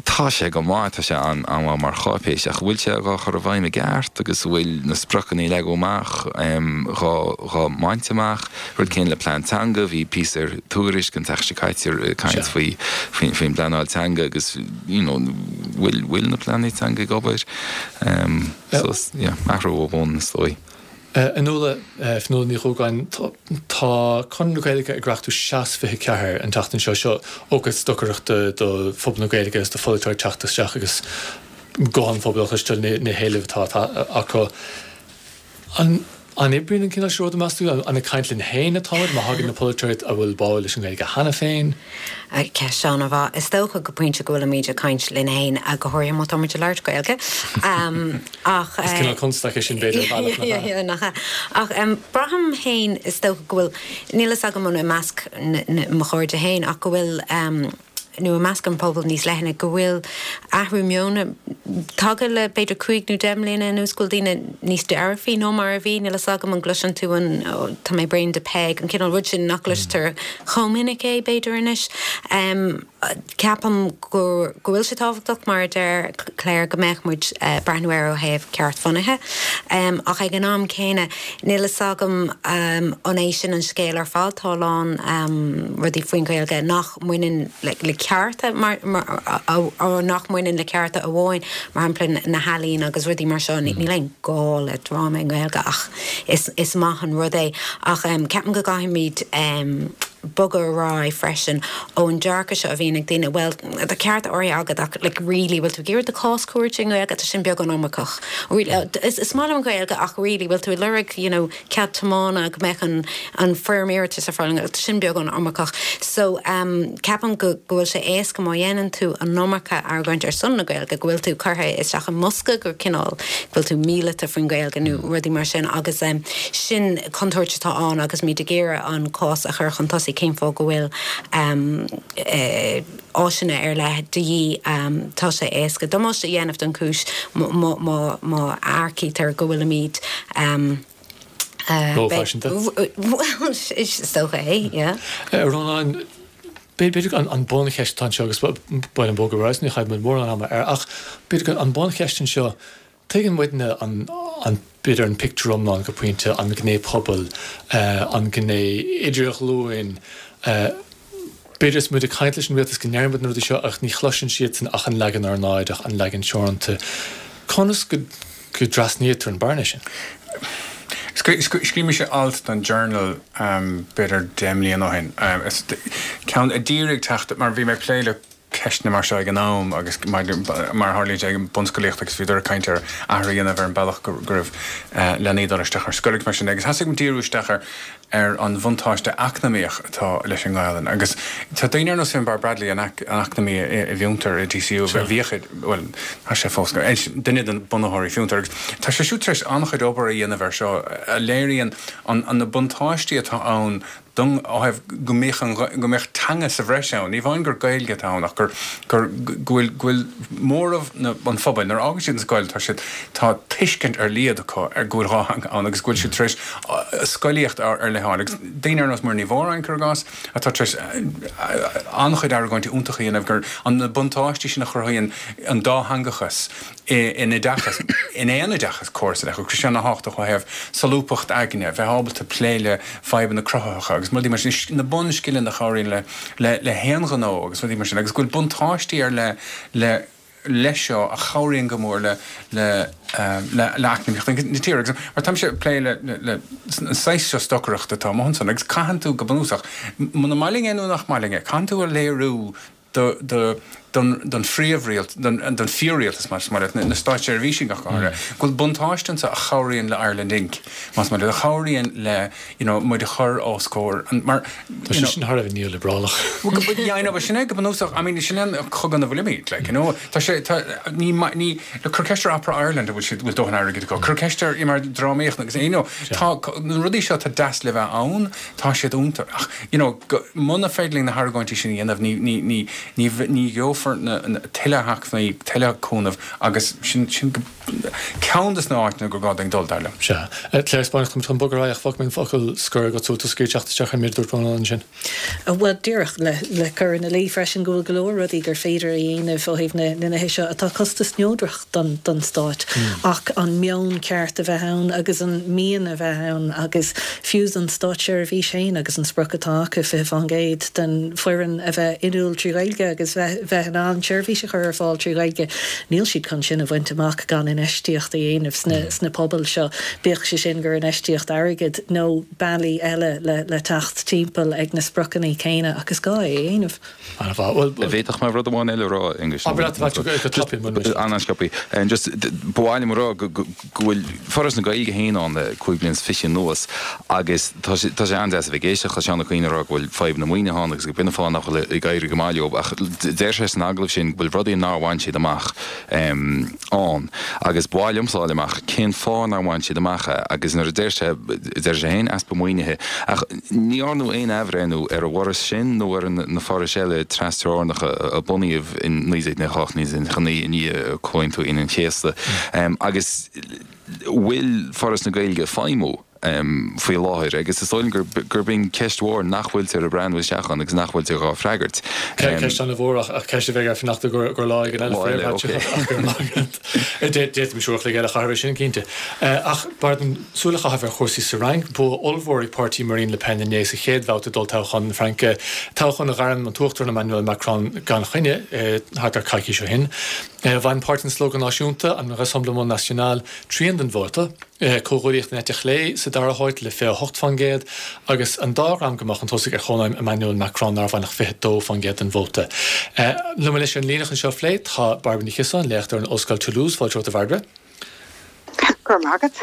tá sé go maith, tá sé an-mhaith mar cháipéis, ach an bhfuil sé dhá chur i bhfeidhm i gceart agus an bhfuil na spriocanna a leagadh amach dhá dhá mbaint amach? Rud céanna le plean teanga, bhí píosa ar Tuairisc an tseachtain seo caite ag caint faoi faoin bpleanáil teanga agus you know bhfuil bhfuil na pleananna teanga ag obair? So yeah, athrú ó bhun is dóigh. A Nuala, Fionnuala Ní Dhúgáin, tá Conradh na Gaeilge ag reachtú SEAS fiche ceathair an tseachtain seo. Seo ócáid stocaireachta do phobal na Gaeilge agus do pholaiteoirí teacht isteach agus guth an phobail a chloisteáil, na héilimh atá acu. An oibríonn an cineál seo ruda, meas tú? An ag caint linn féin atáimid má thagann na polaiteoirí a bhfuil bá leis an nGaeilge cheana féin? Ceist an-mhaith. Is dócha go pointe go bhfuilimid ag caint linn féin, go háirithe má táimid ag labhairt Gaeilge. Ach. Is cineál constaic é sin b'fhéidir ar bhealach, nach ea? Nach ea. Ach braithim féin, is dócha go bhfuil, níl fhios agam an i measc mo chairde féin, ach go bhfuil, nó i measc an phobail níos leithne, go bhfuil athrú meoin tagtha le b'fhéidir cúig nó deich mbliana anuas, go bhfuil daoine níos dearfaí ná mar a bhí. Níl fhios agam an gcloiseann tú an oh tá mé bréan de Peig, an cineál rud sin nach gcloistear chomh minic é b'fhéidir anois. Ceapaim go go bhfuil sé tábhachtach mar a deir Claire go mbeadh muid uh, breathnú air ó thaobh ceartbhunaithe. Um, ach ag an am céanna níl a fhios agam um, an é sin an scéal ar fad tá a lán um, rudaí faoin Ghaeilge nach mbaineann le, le cearta mar, mar, a, a, nach mbaineann le cearta amháin mar shampla na healaíona agus rudaí mar seo mm. níl aon gá le dráma i nGaeilge ach is, is maith an rud é ach um, ceapaim go gcaithfimid um, bogadh ar aghaidh freisin ón dearcadh seo a bhíonn ag daoine well tá ceart áirithe agat ach like really bhfuil tú ag iarraidh do chás cúirte i nGaeilge tá sin beagán iomarcach. Really, uh, is, is maith liom an Ghaeilge ach really bhfuil tú ag lorg you know, cead tiomána go mbeadh an, an foirm iarratais ar fáil tá sin beagán iomarcach. So um, ceapaim go go bhfuil sé éasca má dhéanann tú an iomarca argóint ar son na Gaeilge go bhfuil tú curtha isteach i mbosca gur cineál go bhfuil tú míleata faoin Ghaeilge nó rudaí mar sin agus um, sin contúirt atá ann agus muid ag iarraidh an cás a chur chun tosaigh cén fáth go bhfuil um, uh, áiseanna ar leith de dhíth um, tá sé éasca damáiste a dhéanamh don chúis má earcaítear go bhfuilimid um, uh, Rófhaiseanta? Well, is dócha é, yeah. Rónán B'fhéidir an buncheist anseo agus bain an bogadh ní chaithfimid mórán ama air ach b'fhéidir an buncheist anseo tuigeann muidne an an b'fhéidir an pictiúr iomlán go pointe an gné pobail an gné idirghlúin b'fhéidir is muid ag caint leis an rialtas go ndeirimid na rudaí seo ach ní chloiseann siadsan ach an leagan ornáideach an leagan teoranta. Conas go go dtrasnaítear an bearna sin? Scríobh mise alt don Journal b'fhéidir deich mbliana ó shin. Ceann a d'iarraidh teacht mar bhí mé ag plé le ceisteanna mar seo ag an am agus mar a tharlaíonn sé ag an bunscolaíocht agus bhíodar ag caint ar athrú a dhéanamh ar an bealach go raibh leanaí ag dul isteach ar scoil agus mar sin de agus thosaigh mé díriú isteach ar ar an bhuntáiste eacnamaíoch atá leis an nGaelainn agus tá daoine ar nós Finbarr Bradley an eacnamaí i bhFiontar i DCU a bhíodh bhuel tá sé fós duine de bunaitheoirí Fiontar agus tá sé siúd tar éis an-chuid obair a dhéanamh air seo a léiríonn an na buntáistí atá ann don ó thaobh go mbeadh an go mbeadh teanga sa bhreis ann, ní amháin gur Gaeilge atá ann ach gur gur go bhfuil go bhfuil móramh na an phobail, nuair a fhágann siad an scoil tá siad tá tuiscint ar leithead acu ar go bhfuil dhá theanga ann agus go bhfuil siad tar éis scolaíocht ar leith a fháil agus daoine ar nós Muireann Ní Mhóráin, cuir i gcás, atá tar éis an-chuid argóintí iontacha a dhéanamh gur an na buntáistí sin a chruthaíonn an dátheangachas in oideachas, in aon oideachas córasach, agus sé an-tábhachtach ó thaobh solúbthacht aigne, bheith ábalta plé le fadhbanna cruthaitheacha agus rudaí mar sin, na bunscileanna a chabhraíonn le le le haon ghnó agus rudaí mar sin, agus go bhfuil buntáistí ar leith le leis seo a chabhraíonn go mór le le le le eacnamaíocht na tíre. Agus mar táimse ag plé le le le an saghas seo stocaireachta atá amuigh ansan agus caitheann tú go bunúsach, muna maith linn é nó nach maith linn é, caitheann tú a léiriú do, do, don, don phríomhrialt, don, don fíor-rialtas, más maith leat, na státseirbhísigh ach go háirithe, go bhfuil buntáiste anso a chabhraíonn le Ireland Inc, más maith leat, a chabhraíonn le, you know, muid a chur os comhair an, mar, Tá sé sin thar a bheith neoliobrálach. Well, go, yeah, I know, but sin é go bunúsach, I mean, sin é an cogadh ina bhfuilimid, like, you know, tá sé, tá, ní, ní, look, cuir ceist ar Opera Ireland an bhfuil siad, bhfuil dóthain airgid acu, cuir ceist ar, mar drámaíocht agus, you know, tá, na rudaí seo atá deas le bheith ann, tá siad iontach, ach, you know, go, muna féidir linn na hargóintí sin a dhéanamh, ní, ní, ní, ní, ní gheofar na, na, tuilleadh acmhainní, tuilleadh cúnamh agus sin, sin go, ceann des na háiteanna gur gá dúinn dul, dar liom. Sea. Claire Spáinneach, táimid chun bogadh ar aghaidh ach fágfaidh mé an focal scoir agat sula bhfuil tú ag teacht isteach ar an méid a dúirt Rónán ansin. Bhuel, díreach le, le cur ina luí freisin go bhfuil go leor rudaí gur féidir a dhéanamh ó thaobh na, na nithe seo atá costas-neodrach don, don stát ach an meon ceart a bheith ann agus an mian a bheith ann agus fiú don státseirbhís féin agus an sprioc atá acu fiche faoin gcéad den foireann a bheith inniúil trí Ghaeilge agus bheith bheith in ann seirbhís a chur ar fáil trí Ghaeilge. Níl siad chun sin a bhaint amach gan infheistíocht a dhéanamh sna sna pobail seo, bíodh sé sin gur infheistíocht airgid nó bealaí eile le le teacht timpeall ag na spriocanna céanna ach is gá é a dhéanamh. An-mhaith. Bhuel, An bhféadfadh mé rud amháin eile a rá, Aengus? Abair leat, a Mhaitiú, go tapaidh, muna miste. An-sciobtha. Just, ba mhaith liom a rá go go bhfuil Foras na Gaeilge féin ann le cúig bliana is fiche anuas agus tá sé tá sé an-deas a bheith ag éisteacht le Seán Ó Coinn ag rá go bhfuil fadhb na maoinithe ann agus gurb in an fáth nach bhfuil ag éirí go maith leo ach deir sé san agallamh sin go bhfuil rudaí nár bhain siad amach ann agus ba mhaith liomsa a fháil amach cén fáth nár bhain siad amach é agus nuair a deir sé deir sé féin easpa maoinithe ach ní dhearnadh aon athbhreithniú ar an bhforas sin nó ar na forais eile trasteorannacha a bunaíodh in naoi déag nócha a hocht, naoi déag nócha a naoi i ndiaidh Chomhaontú Aoine an Chéasta agus bhfuil Foras na Gaeilge ag feidhmiú? faoi láthair agus is dóigh liom gurb in ceist mhór nach bhfuiltear ag breathnú isteach ann agus nach bhfuiltear dhá freagairt. Ceist an-mhór ach ceist a bheidh ar fanacht gur lá éigin eile. D'fhéadfaimis uair a chloig eile a chaitheamh air sin cinnte. Ach b'fhearr dom súil a chaitheamh ar chúrsaí sa Fhrainc. Bua ollmhór ag páirtí Marine Le Pen inné sa chéad bhabhta d'olltoghchán na Fraince, toghchán a ghairm an tUachtarán Emmanuel Macron gan choinne thart ar coicís ó shin. Bhain páirtí an Slógadh Náisiúnta, an Rassemblement National, trian den vóta. Comhghuaillíocht an eite chlé sa dara háit le fiche a hocht faoin gcéad agus an dá dhream go mba chun tosaigh ar Chónaidhm Emmanuel Macron nár bhain ach fiche a dó faoin gcéad den vóta. Liom anois ar an líne chun seo a phlé tá Bairbre Ní Chiosáin, léachtóir in Ollscoil Toulouse. Fáilte romhat a Bhairbre. Go raibh maith agat.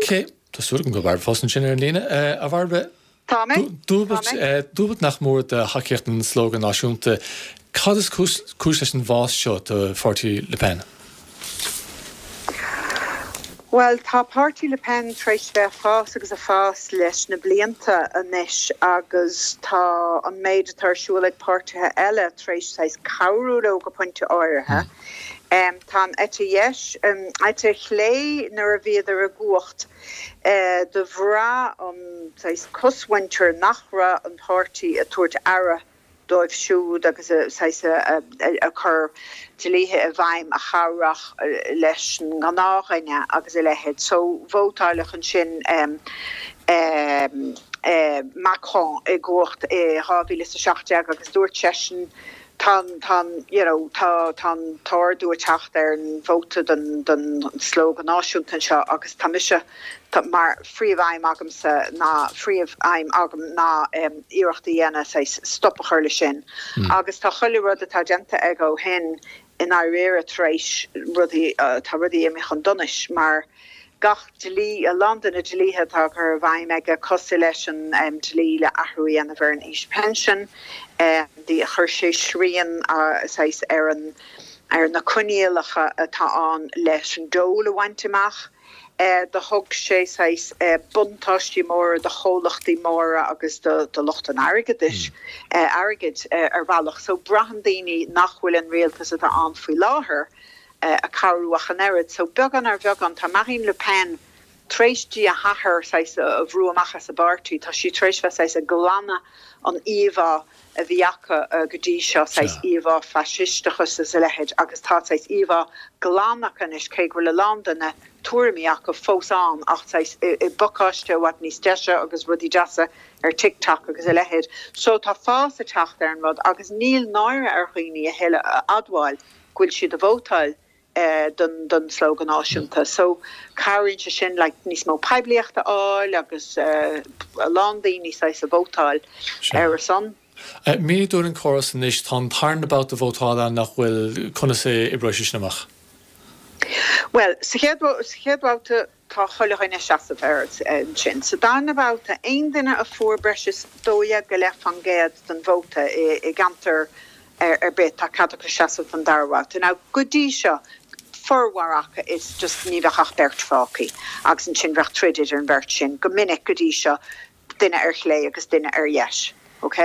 Cé, tá súil agam go bhfuil Bairbre fós ansin ar an líne. A Bhairbre, Tá mé. Dúbailt nach mór de thacaíocht an Slógadh Náisiúnta. Cad is cúis leis an bhfás seo do pháirtí Le Pen? Bhuel, tá páirtí Le Pen tar éis bheith ag fás agus ag fás leis na blianta anois agus tá an méid atá ar siúl ag páirtithe eile tar éis saghas cabhrú leo go pointe áirithe. Tá an eite dheis, an eite chlé nuair a bhíodar i gcumhacht do bhraith an saghas cosmhuintir nach raibh an páirtí ag tabhairt aire dóibh siúd agus saghas ag cur dlíthe i bhfeidhm a chabhródh leis an ngnáthdhuine agus a leithéid. So vótáileadh ansin Macron i gcumhacht i dhá mhíle is a seacht déag agus dúirt seisean tá an tá an you know tá tá an t-ardú ag teacht ar an vóta don don Slógadh Náisiúnta anseo agus tá mise tá mar phríomh-aidhm agamsa ná phríomh-aidhm agam ná iarracht a dhéanamh saghas stop a chur leis sin. Agus tá chuile rud atá déanta aige ó shin i ndáiríre tar éis rudaí tá rudaí imithe chun donais mar gach dlí, a lán de na dlíthe atá curtha i bhfeidhm aige, cosúil leis an dlí le athrú a dhéanamh ar an aois pinsin, chuir sé srian saghas ar an ar na coinníollacha atá ann leis an dole a bhaint amach. Do thug sé saghas buntáistí móra do chomhlachtaí móra agus do do lucht an airgeadais, airgid ar bhealach. So braitheann daoine nach bhfuil an rialtas atá ann faoi láthair, ag cabhrú ach an oiread. So beagán ar bheagán, tá Marine Le Pen tar éis di a hathair saghas a bhrú amach as an bpáirtí, tá sí tar éis bheith saghas ag glanadh an íomhá a bhí acu go dtí seo, saghas íomhá faisisteachas is a leithéid, agus tá saghas íomhá glan acu anois, cé go bhfuil a lán de na tuairimí acu fós ann ach saghas i bpacáiste i bhfad níos deise agus rudaí deasa ar TikTok agus a leithéid. So tá fás ag teacht ar an rud agus níl náire ar dhaoine a thuilleadh a admháil go bhfuil siad ag vótáil don don Slógadh Náisiúnta. So cabhraíonn sé sin like níos mó poiblíocht a fháil agus a lán daoine saghas ag vótáil ar a son. Mínigh dúinn an córas anois, tá an tarna babhta vótála ann nach bhfuil, conas a oibreoidh sé sin amach? Bhuel, sa chéad sa chéad bhabhta tá chuile dhuine ag seasamh air ansin. Sa darna babhta, aon duine a fuair breis is dó dhéag go leith faoin gcéad den vóta i i gceantar ar bith, tá cead acu seasamh don dara babhta. Now, go dtí seo, formhór acu is just ní bheadh ach beirt fágtha agus ansin bheadh troid idir an bheirt sin, go minic go dtí seo, duine ar chlé agus duine ar dheis. Ok?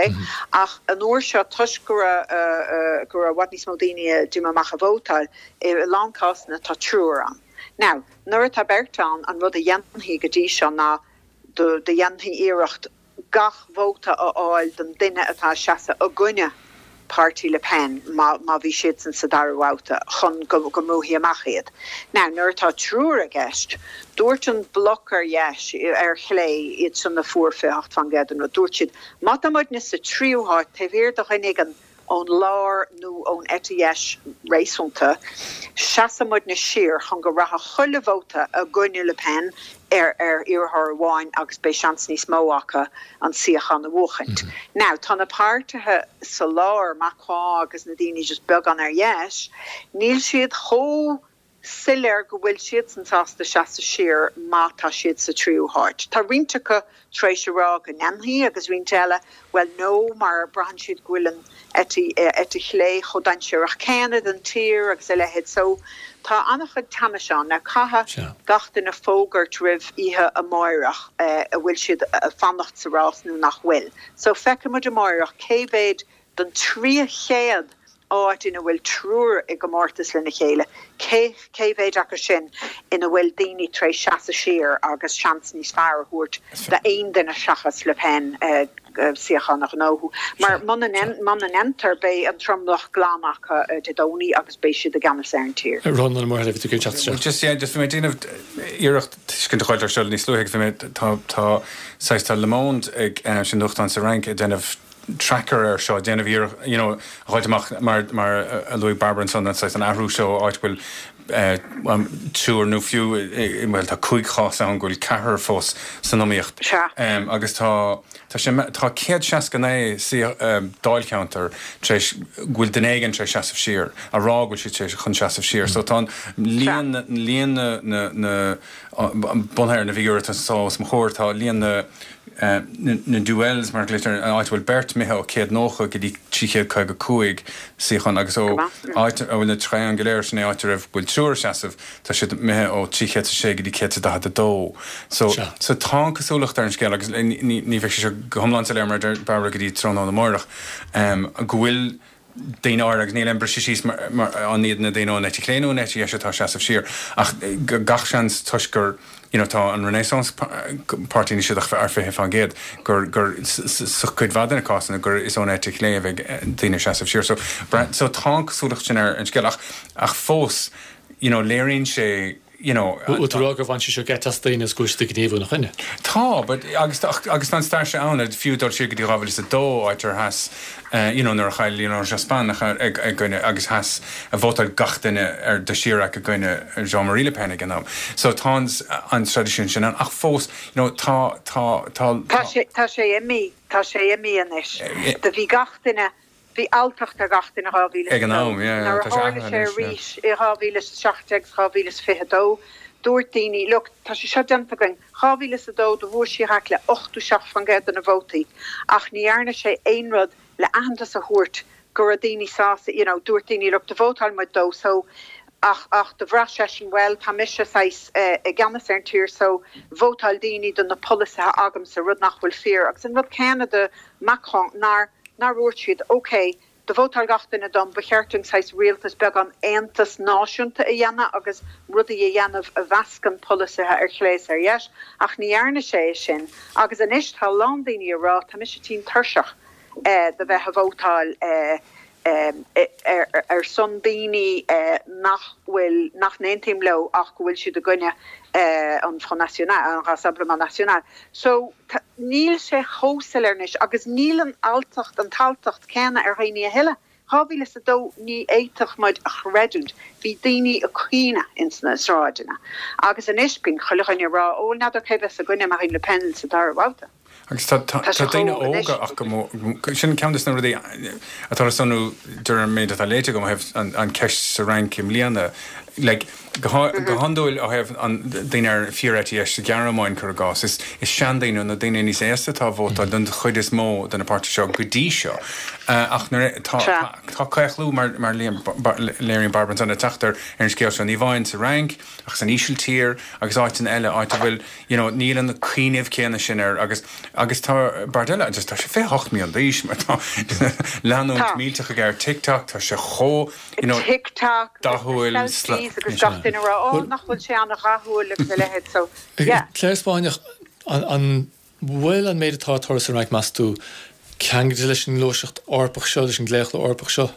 Ach an uair seo, toisc go raibh go raibh i bhfad níos mó daoine a d'imigh amach a vótáil, i a lán cásanna tá triúr ann. Now, nuair atá beirt ann, an rud a dhéanfaí go dtí seo ná do do dhéanfaí iarracht gach vóta a fháil don duine atá ag seasamh i gcoinne páirtí Le Pen má má bhí siadsan sa dara babhta chun go go mbrúfaí amach iad. Now, nuair atá triúr i gceist, dúirt an bloc ar dheis, ar chlé, iad san a fuair fiche hocht faoin gcéad den rud, dúirt siad, má tá muidne sa tríú háit taobh thiar de dhuine éigin ón lár nó ón eite dheis réasúnta, seasfaidh muidne siar chun go rachadh chuile vóta i gcoinne Le Pen ar ar iarrthóir amháin agus beidh seans níos mó acu an suíochán a bhuachaint. Now, tá na páirtithe sa lár, Macron agus na daoine just beagán ar dheis, níl siad chomh soiléir go bhfuil siadsan sásta seasamh siar má tá siad sa tríú háit. Tá roinnt acu tar éis a rá go ndéanfaidh agus roinnt eile, bhuel no mar braitheann siad go bhfuil an eite, eite chlé chomh dainséarach céanna don tír agus a leithéid. So tá an-chuid teannais ann. Now caithfidh gach duine fógairt roimh oíche amáireach an bhfuil siad ag fanacht sa rás nó nach bhfuil. So feicfidh muid amáireach cé mhéad den trí chéad áit ina bhfuil triúr i gcomórtas lena chéile, cé cé mhéad acu sin ina bhfuil daoine tar éis seasamh siar agus seans níos fearr a thabhairt d'aon duine seachas Le Pen suíochán a ghnóthú. Mar muna ndéantar beidh an tromlach glan acu Dé Domhnaigh agus beidh siad i gceannas ar an tír. Rónán Ó Muirthile, bhí tú ag teacht isteach. Just yeah, just bhí mé ag déanamh iarracht tuiscint a fháil air seo níos luaithe agus bhí mé tá tá saghas tá Le Monde ag sin nuachtán sa Fhrainc ag déanamh tracker air seo, déanamh iarracht you know a fháilt amach mar mar a luaigh Barbara ansan an saghas an athrú seo áit bhfuil triúr nó fiú bhuel tá cúig chás ann go bhfuil ceathrar fós san iomaíocht. Agus tá tá sé tá céad seasca naoi dáilcheantar tar éis go bhfuil duine éigin tar éis seasamh siar, a rá go bhfuil siad tar éis chun seasamh siar. So tá an líon líon na na na bunaithe ar na bhfigiúirí atá os mo chomhair, tá líon na na duels mar a ghlaoitear, an áit a bhfuil beirt imithe ó céad nócha go dtí trí chéad caoga cúig suíochán agus ó áit a bhfuil na triangle go léir, sin é áit a raibh bhfuil triúr ag seasamh, tá siad imithe ó trí chéad is a sé go dtí céad is daichead a dó. So so tá an cosúlacht ar an scéal agus ní ní bheidh sé seo go hiomlán soiléir mar a deir Barbara go dtí tráthnóna amárach go bhfuil daoine áirithe, agus níl aon briseadh síos mar an iad na daoine ón eite chlé nó an eite dheis atá ag seasamh siar, ach gach seans toisc gur you know tá an Renaissance páirtí níl siad ach ar fiche faoin gcéad, gur gur sa chuid mhaith de na cásanna gur is ón eite chlé a bheidh daoine ag seasamh siar. So so tá an cosúlacht sin ar an scéal ach ach fós you know léiríonn sé you know. Bhfuil tú ag rá gur bhain sé seo geit as daoine is go bhfuil siad ag gníomhú ina choinne? Tá, but agus agus tá an stair seo ann, fiú dul siar go dtí dhá mhíle is a dó, áit ar sheas you know nuair a chaill Lionel Jospin ag i gcoinne agus sheas vótáil gach duine ar do Chirac i gcoinne Jean-Marie Le Pen ag an am. So tá an an traidisiún sin ann ach fós you know tá tá tá Tá sé tá sé imithe, tá sé imithe anois. Do bhí gach duine Bhí alltacht ar gach duine dhá mhíle Ag is an dó. am, yeah, Nuair a tá sé tharla athraithe sé anois, yeah. arís i dhá mhíle is a seacht déag is dhá mhíle is fiche a dó, dúirt daoine, look, tá sé seo déanta againn. Dhá mhíle is a dó do bhuaigh Chirac le ochtó seacht faoin gcéad de na vótaí ach ní dhearna sé aon rud le aitheantas a thabhairt go raibh daoine sásta, you know, dúirt daoine, look, do vótáil muid dó so ach ach do bhraith seisean, bhuel, tá mise saghas i gceannas ar an tír so vótáil daoine do na polasaithe agamsa, rud nach bhfuil fíor. Agus an rud céanna do Macron, nár nár dhúirt siad, ok, do vótáil gach duine dom, ba cheart dúinn saghas rialtas beagán aontas náisiúnta a dhéanamh agus rudaí a dhéanamh a mheascann polasaithe ar chlé is ar dheis, ach ní dhearna sé é sin. Agus anois tá a lán daoine ag rá, tá mise tinn tuirseach de bheith a vótáil ar son daoine nach bhfuil, nach n-aontaím leo ach go bhfuil siad i gcoinne an Front National, an Rassemblement National. So níl sé chomh soiléir anois agus níl an alltacht, an t-alltacht céanna ar dhaoine a thuilleadh. Dhá mhíle is a dó ní fhéadfadh muid a chreidiúint, bhí daoine ag caoineadh ins na sráideanna agus anois bíonn chuile dhuine ag rá, ó n'fheadar cé bheas i gcoinne Marine Le Pen sa dara babhta. Agus tá daoine óga ach go mór, sin ceann de na rudaí atá le sonrú de réir an méid atá léite agam ó thaobh an cheist sa Fhrainc i mbliana. Like, go hiondúil ó thaobh an daoine ar fíor-eite dheis sa Ghearmáin, cuir i gcás, is seandaoine nó daoine níos aosta atá ag vótáil don chuid is mó de na páirtithe seo go dtí seo. Ach nuair tá tá claochlú mar mar léiríonn Barbara ansan ag teacht ar an scéal seo, ní amháin sa Fhrainc ach san Ísiltír agus áiteanna eile, áit a bhfuil you know níl an cuimhneamh céanna sin air agus agus tá Bardella just tá sé fiche hocht mbliana d'aois mar tá leanúint Tá. millteach aige ar TikTok, tá sé chomh you know TikTok, dathúil, selfies agus gach duine ag rá ó nach bhfuil sé an-dhathúil agus a leithéid so yeah. Claire Spáinneach, an an bhfuil an méid atá ag tarlú sa Fhrainc meas tú ceangailte leis an ngluaiseacht Eorpach seo, leis an gclaochlú Eorpach seo?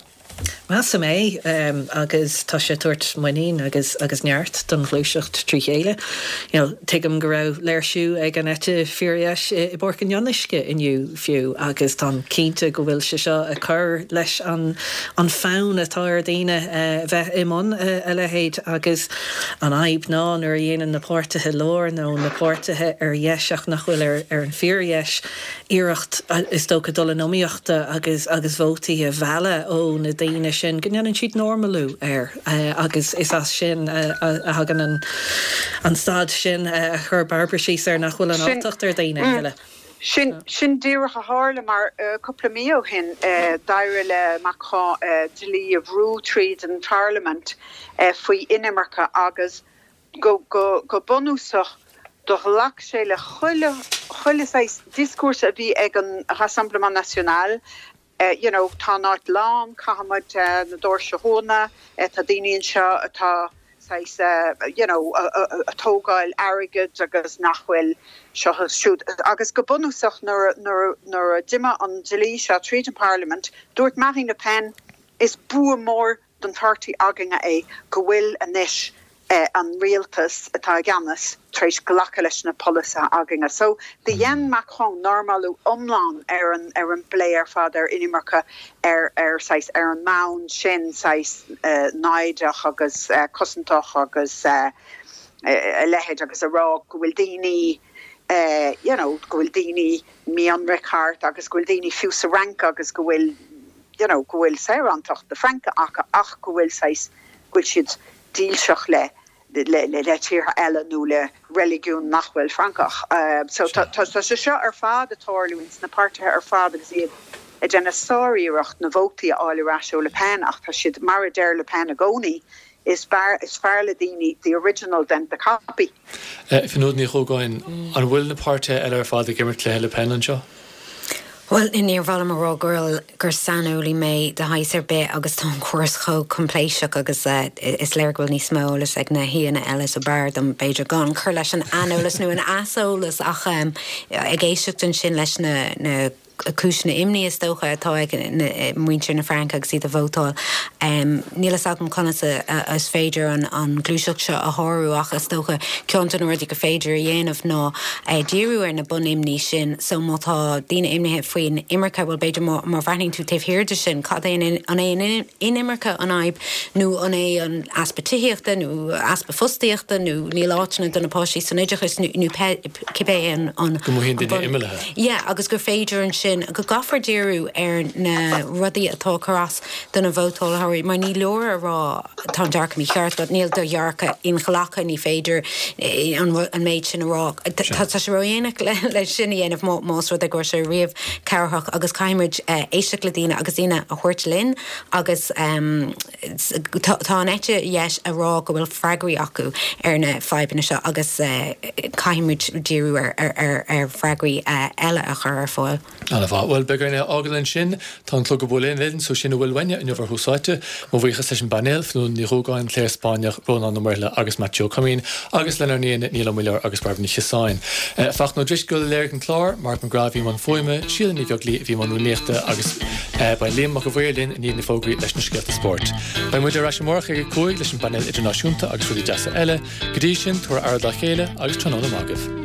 Measaim é, agus tá sé ag tabhairt muinín agus agus neart don ghluaiseacht trí chéile. You know, tuigim go raibh léirsiú ag an eite fíordheis i bPáirc an Fhionnuisce inniu fiú agus táim cinnte go bhfuil sé seo ag cur leis an an fonn atá ar dhaoine bheith i mbun a leithéid agus an fhadhb ná nuair a dhéanann na páirtithe láir nó na páirtithe ar dheis ach nach bhfuil ar ar an fíordheis iarracht is dócha dul in iomaíocht agus agus vótaí a mhealladh ó na daoine sin go ndéanann siad normalú air agus is as sin a thagann an an staid sin a chuir Barbara síos air nach bhfuil an alltacht ar dhaoine a thuilleadh. Sin sin díreach a tharla mar cúpla mí ó shin d'éirigh le Macron dlí a bhrú tríd an pharlaimint faoi inimirce agus go go go bunúsach do ghlac sé le chuile chuile saghas dioscúrsa a bhí ag an Rassemblement National You know, tá an áit lán, caithfidh muid na doirse a dhúnadh, tá daoine anseo atá saghas, you know, ag tógáil airgid agus nach bhfuil seo is siúd. Agus go bunúsach nuair, nuair, nuair a d'imigh an dlí seo tríd an Parliament, dúirt Marine Le Pen, is bua mór don pháirtí againne é go bhfuil anois an rialtas atá i gceannas tar éis glacadh leis na polasaithe againne. So do dhein Macron normalú iomlán ar an ar an bplé ar fad ar inimirce ar ar saghas ar an mbonn sin saghas naimhdeach agus cosantach agus a leithéid agus a rá go bhfuil daoine you know go bhfuil daoine mí-ionraic thart agus go bhfuil daoine fiú sa Fhrainc agus go bhfuil you know go bhfuil saorántacht na Fraince acu ach go bhfuil saghas go bhfuil siad dílseach le le le le tíortha eile nó le reiligiún nach bhfuil Francach. So tá tá sé seo ar fad ag tarlú ins na páirtithe ar fad agus iad ag déanamh sáriarracht na vótaí a fháil ar ais ó Le Pen ach tá siad mar a deir Le Pen i gcónaí is fearr is fearr le daoine the original than the copy. Fionnuala Ní Dhúgáin, an bhfuil na páirtithe eile ar fad ag imirt cluiche Le Pen anseo? Bhuel, níor mhaith liom a rá gur gur saineolaí mé de shaghas ar bith agus tá an córas chomh coimpléiseach agus is léir go bhfuil níos mó eolas ag na haíonna eile so b'fhearr dom b'fhéidir gan cur leis an aineolas nó an easolas ach ag éisteacht ansin leis na na cúiseanna imní is dócha atá ag muintir na Fraince agus iad ag vótáil. Níl fhios agam conas is féidir an ghluaiseacht seo a shárú ach is dócha ceann de na rudaí gur féidir a dhéanamh ná díriú ar na bunimní sin so má tá daoine imnithe faoin imirce bhuel b'fhéidir má bhreathnaíonn tú taobh thiar de sin cad é an é an inimirce an fhadhb nó an é an easpa tithíochta nó easpa fostaíochta nó níl áiteanna do na páistí san oideachas nó cibé an an Go mothaíonn duine imeallaithe. Yeah agus gur féidir ansin sin go gcaithfear díriú ar na rudaí atá ag cur as do na vótáitheoirí, mar ní leor a rá tá an dearcadh mícheart agat, níl do dhearcadh inghlactha, ní féidir an méid sin a rá. Tá sé ródhéanach le sin a dhéanamh más rud é go raibh sé riamh cabhrach agus caithfimid éisteacht le daoine agus daoine a thabhairt linn agus tá an eite dheis ag rá go bhfuil freagraí acu ar na fadhbanna seo agus caithfimid díriú ar freagraí eile a chur ar fáil. Ana-mhaith. Bhuel, beidh orainn é a fhágáil ansin. Tá an clog ag bualadh linn, so sin a bhfuil uainne inniu ar Thús Áite. Mo bhuíochas leis an bpainéal, Fionnuala Ní Dhúgáin, Claire Spáinneach, Rónán Ó Muirthile agus Maitiú Ó Coimín, agus lenár n-aíonna Niall Ó Muilleoir agus Bairbre Ní Chiosáin. Fachtna Ó Drisceoil a léirigh an clár, Mark McGrath a bhí i mbun fuaime, Síle Ní Bheaglaoí a bhí i mbun rúnaíochta agus beidh Liam Mac a' Mhaoir linn i ndiaidh na bhfógraí leis na scéalta spóirt. Beidh muid ar ais amárach ag a cúig leis an bpainéal idirnáisiúnta agus rudaí deasa eile. Go dtí sin, tabhair aire dá chéile agus tráthnóna maith agaibh.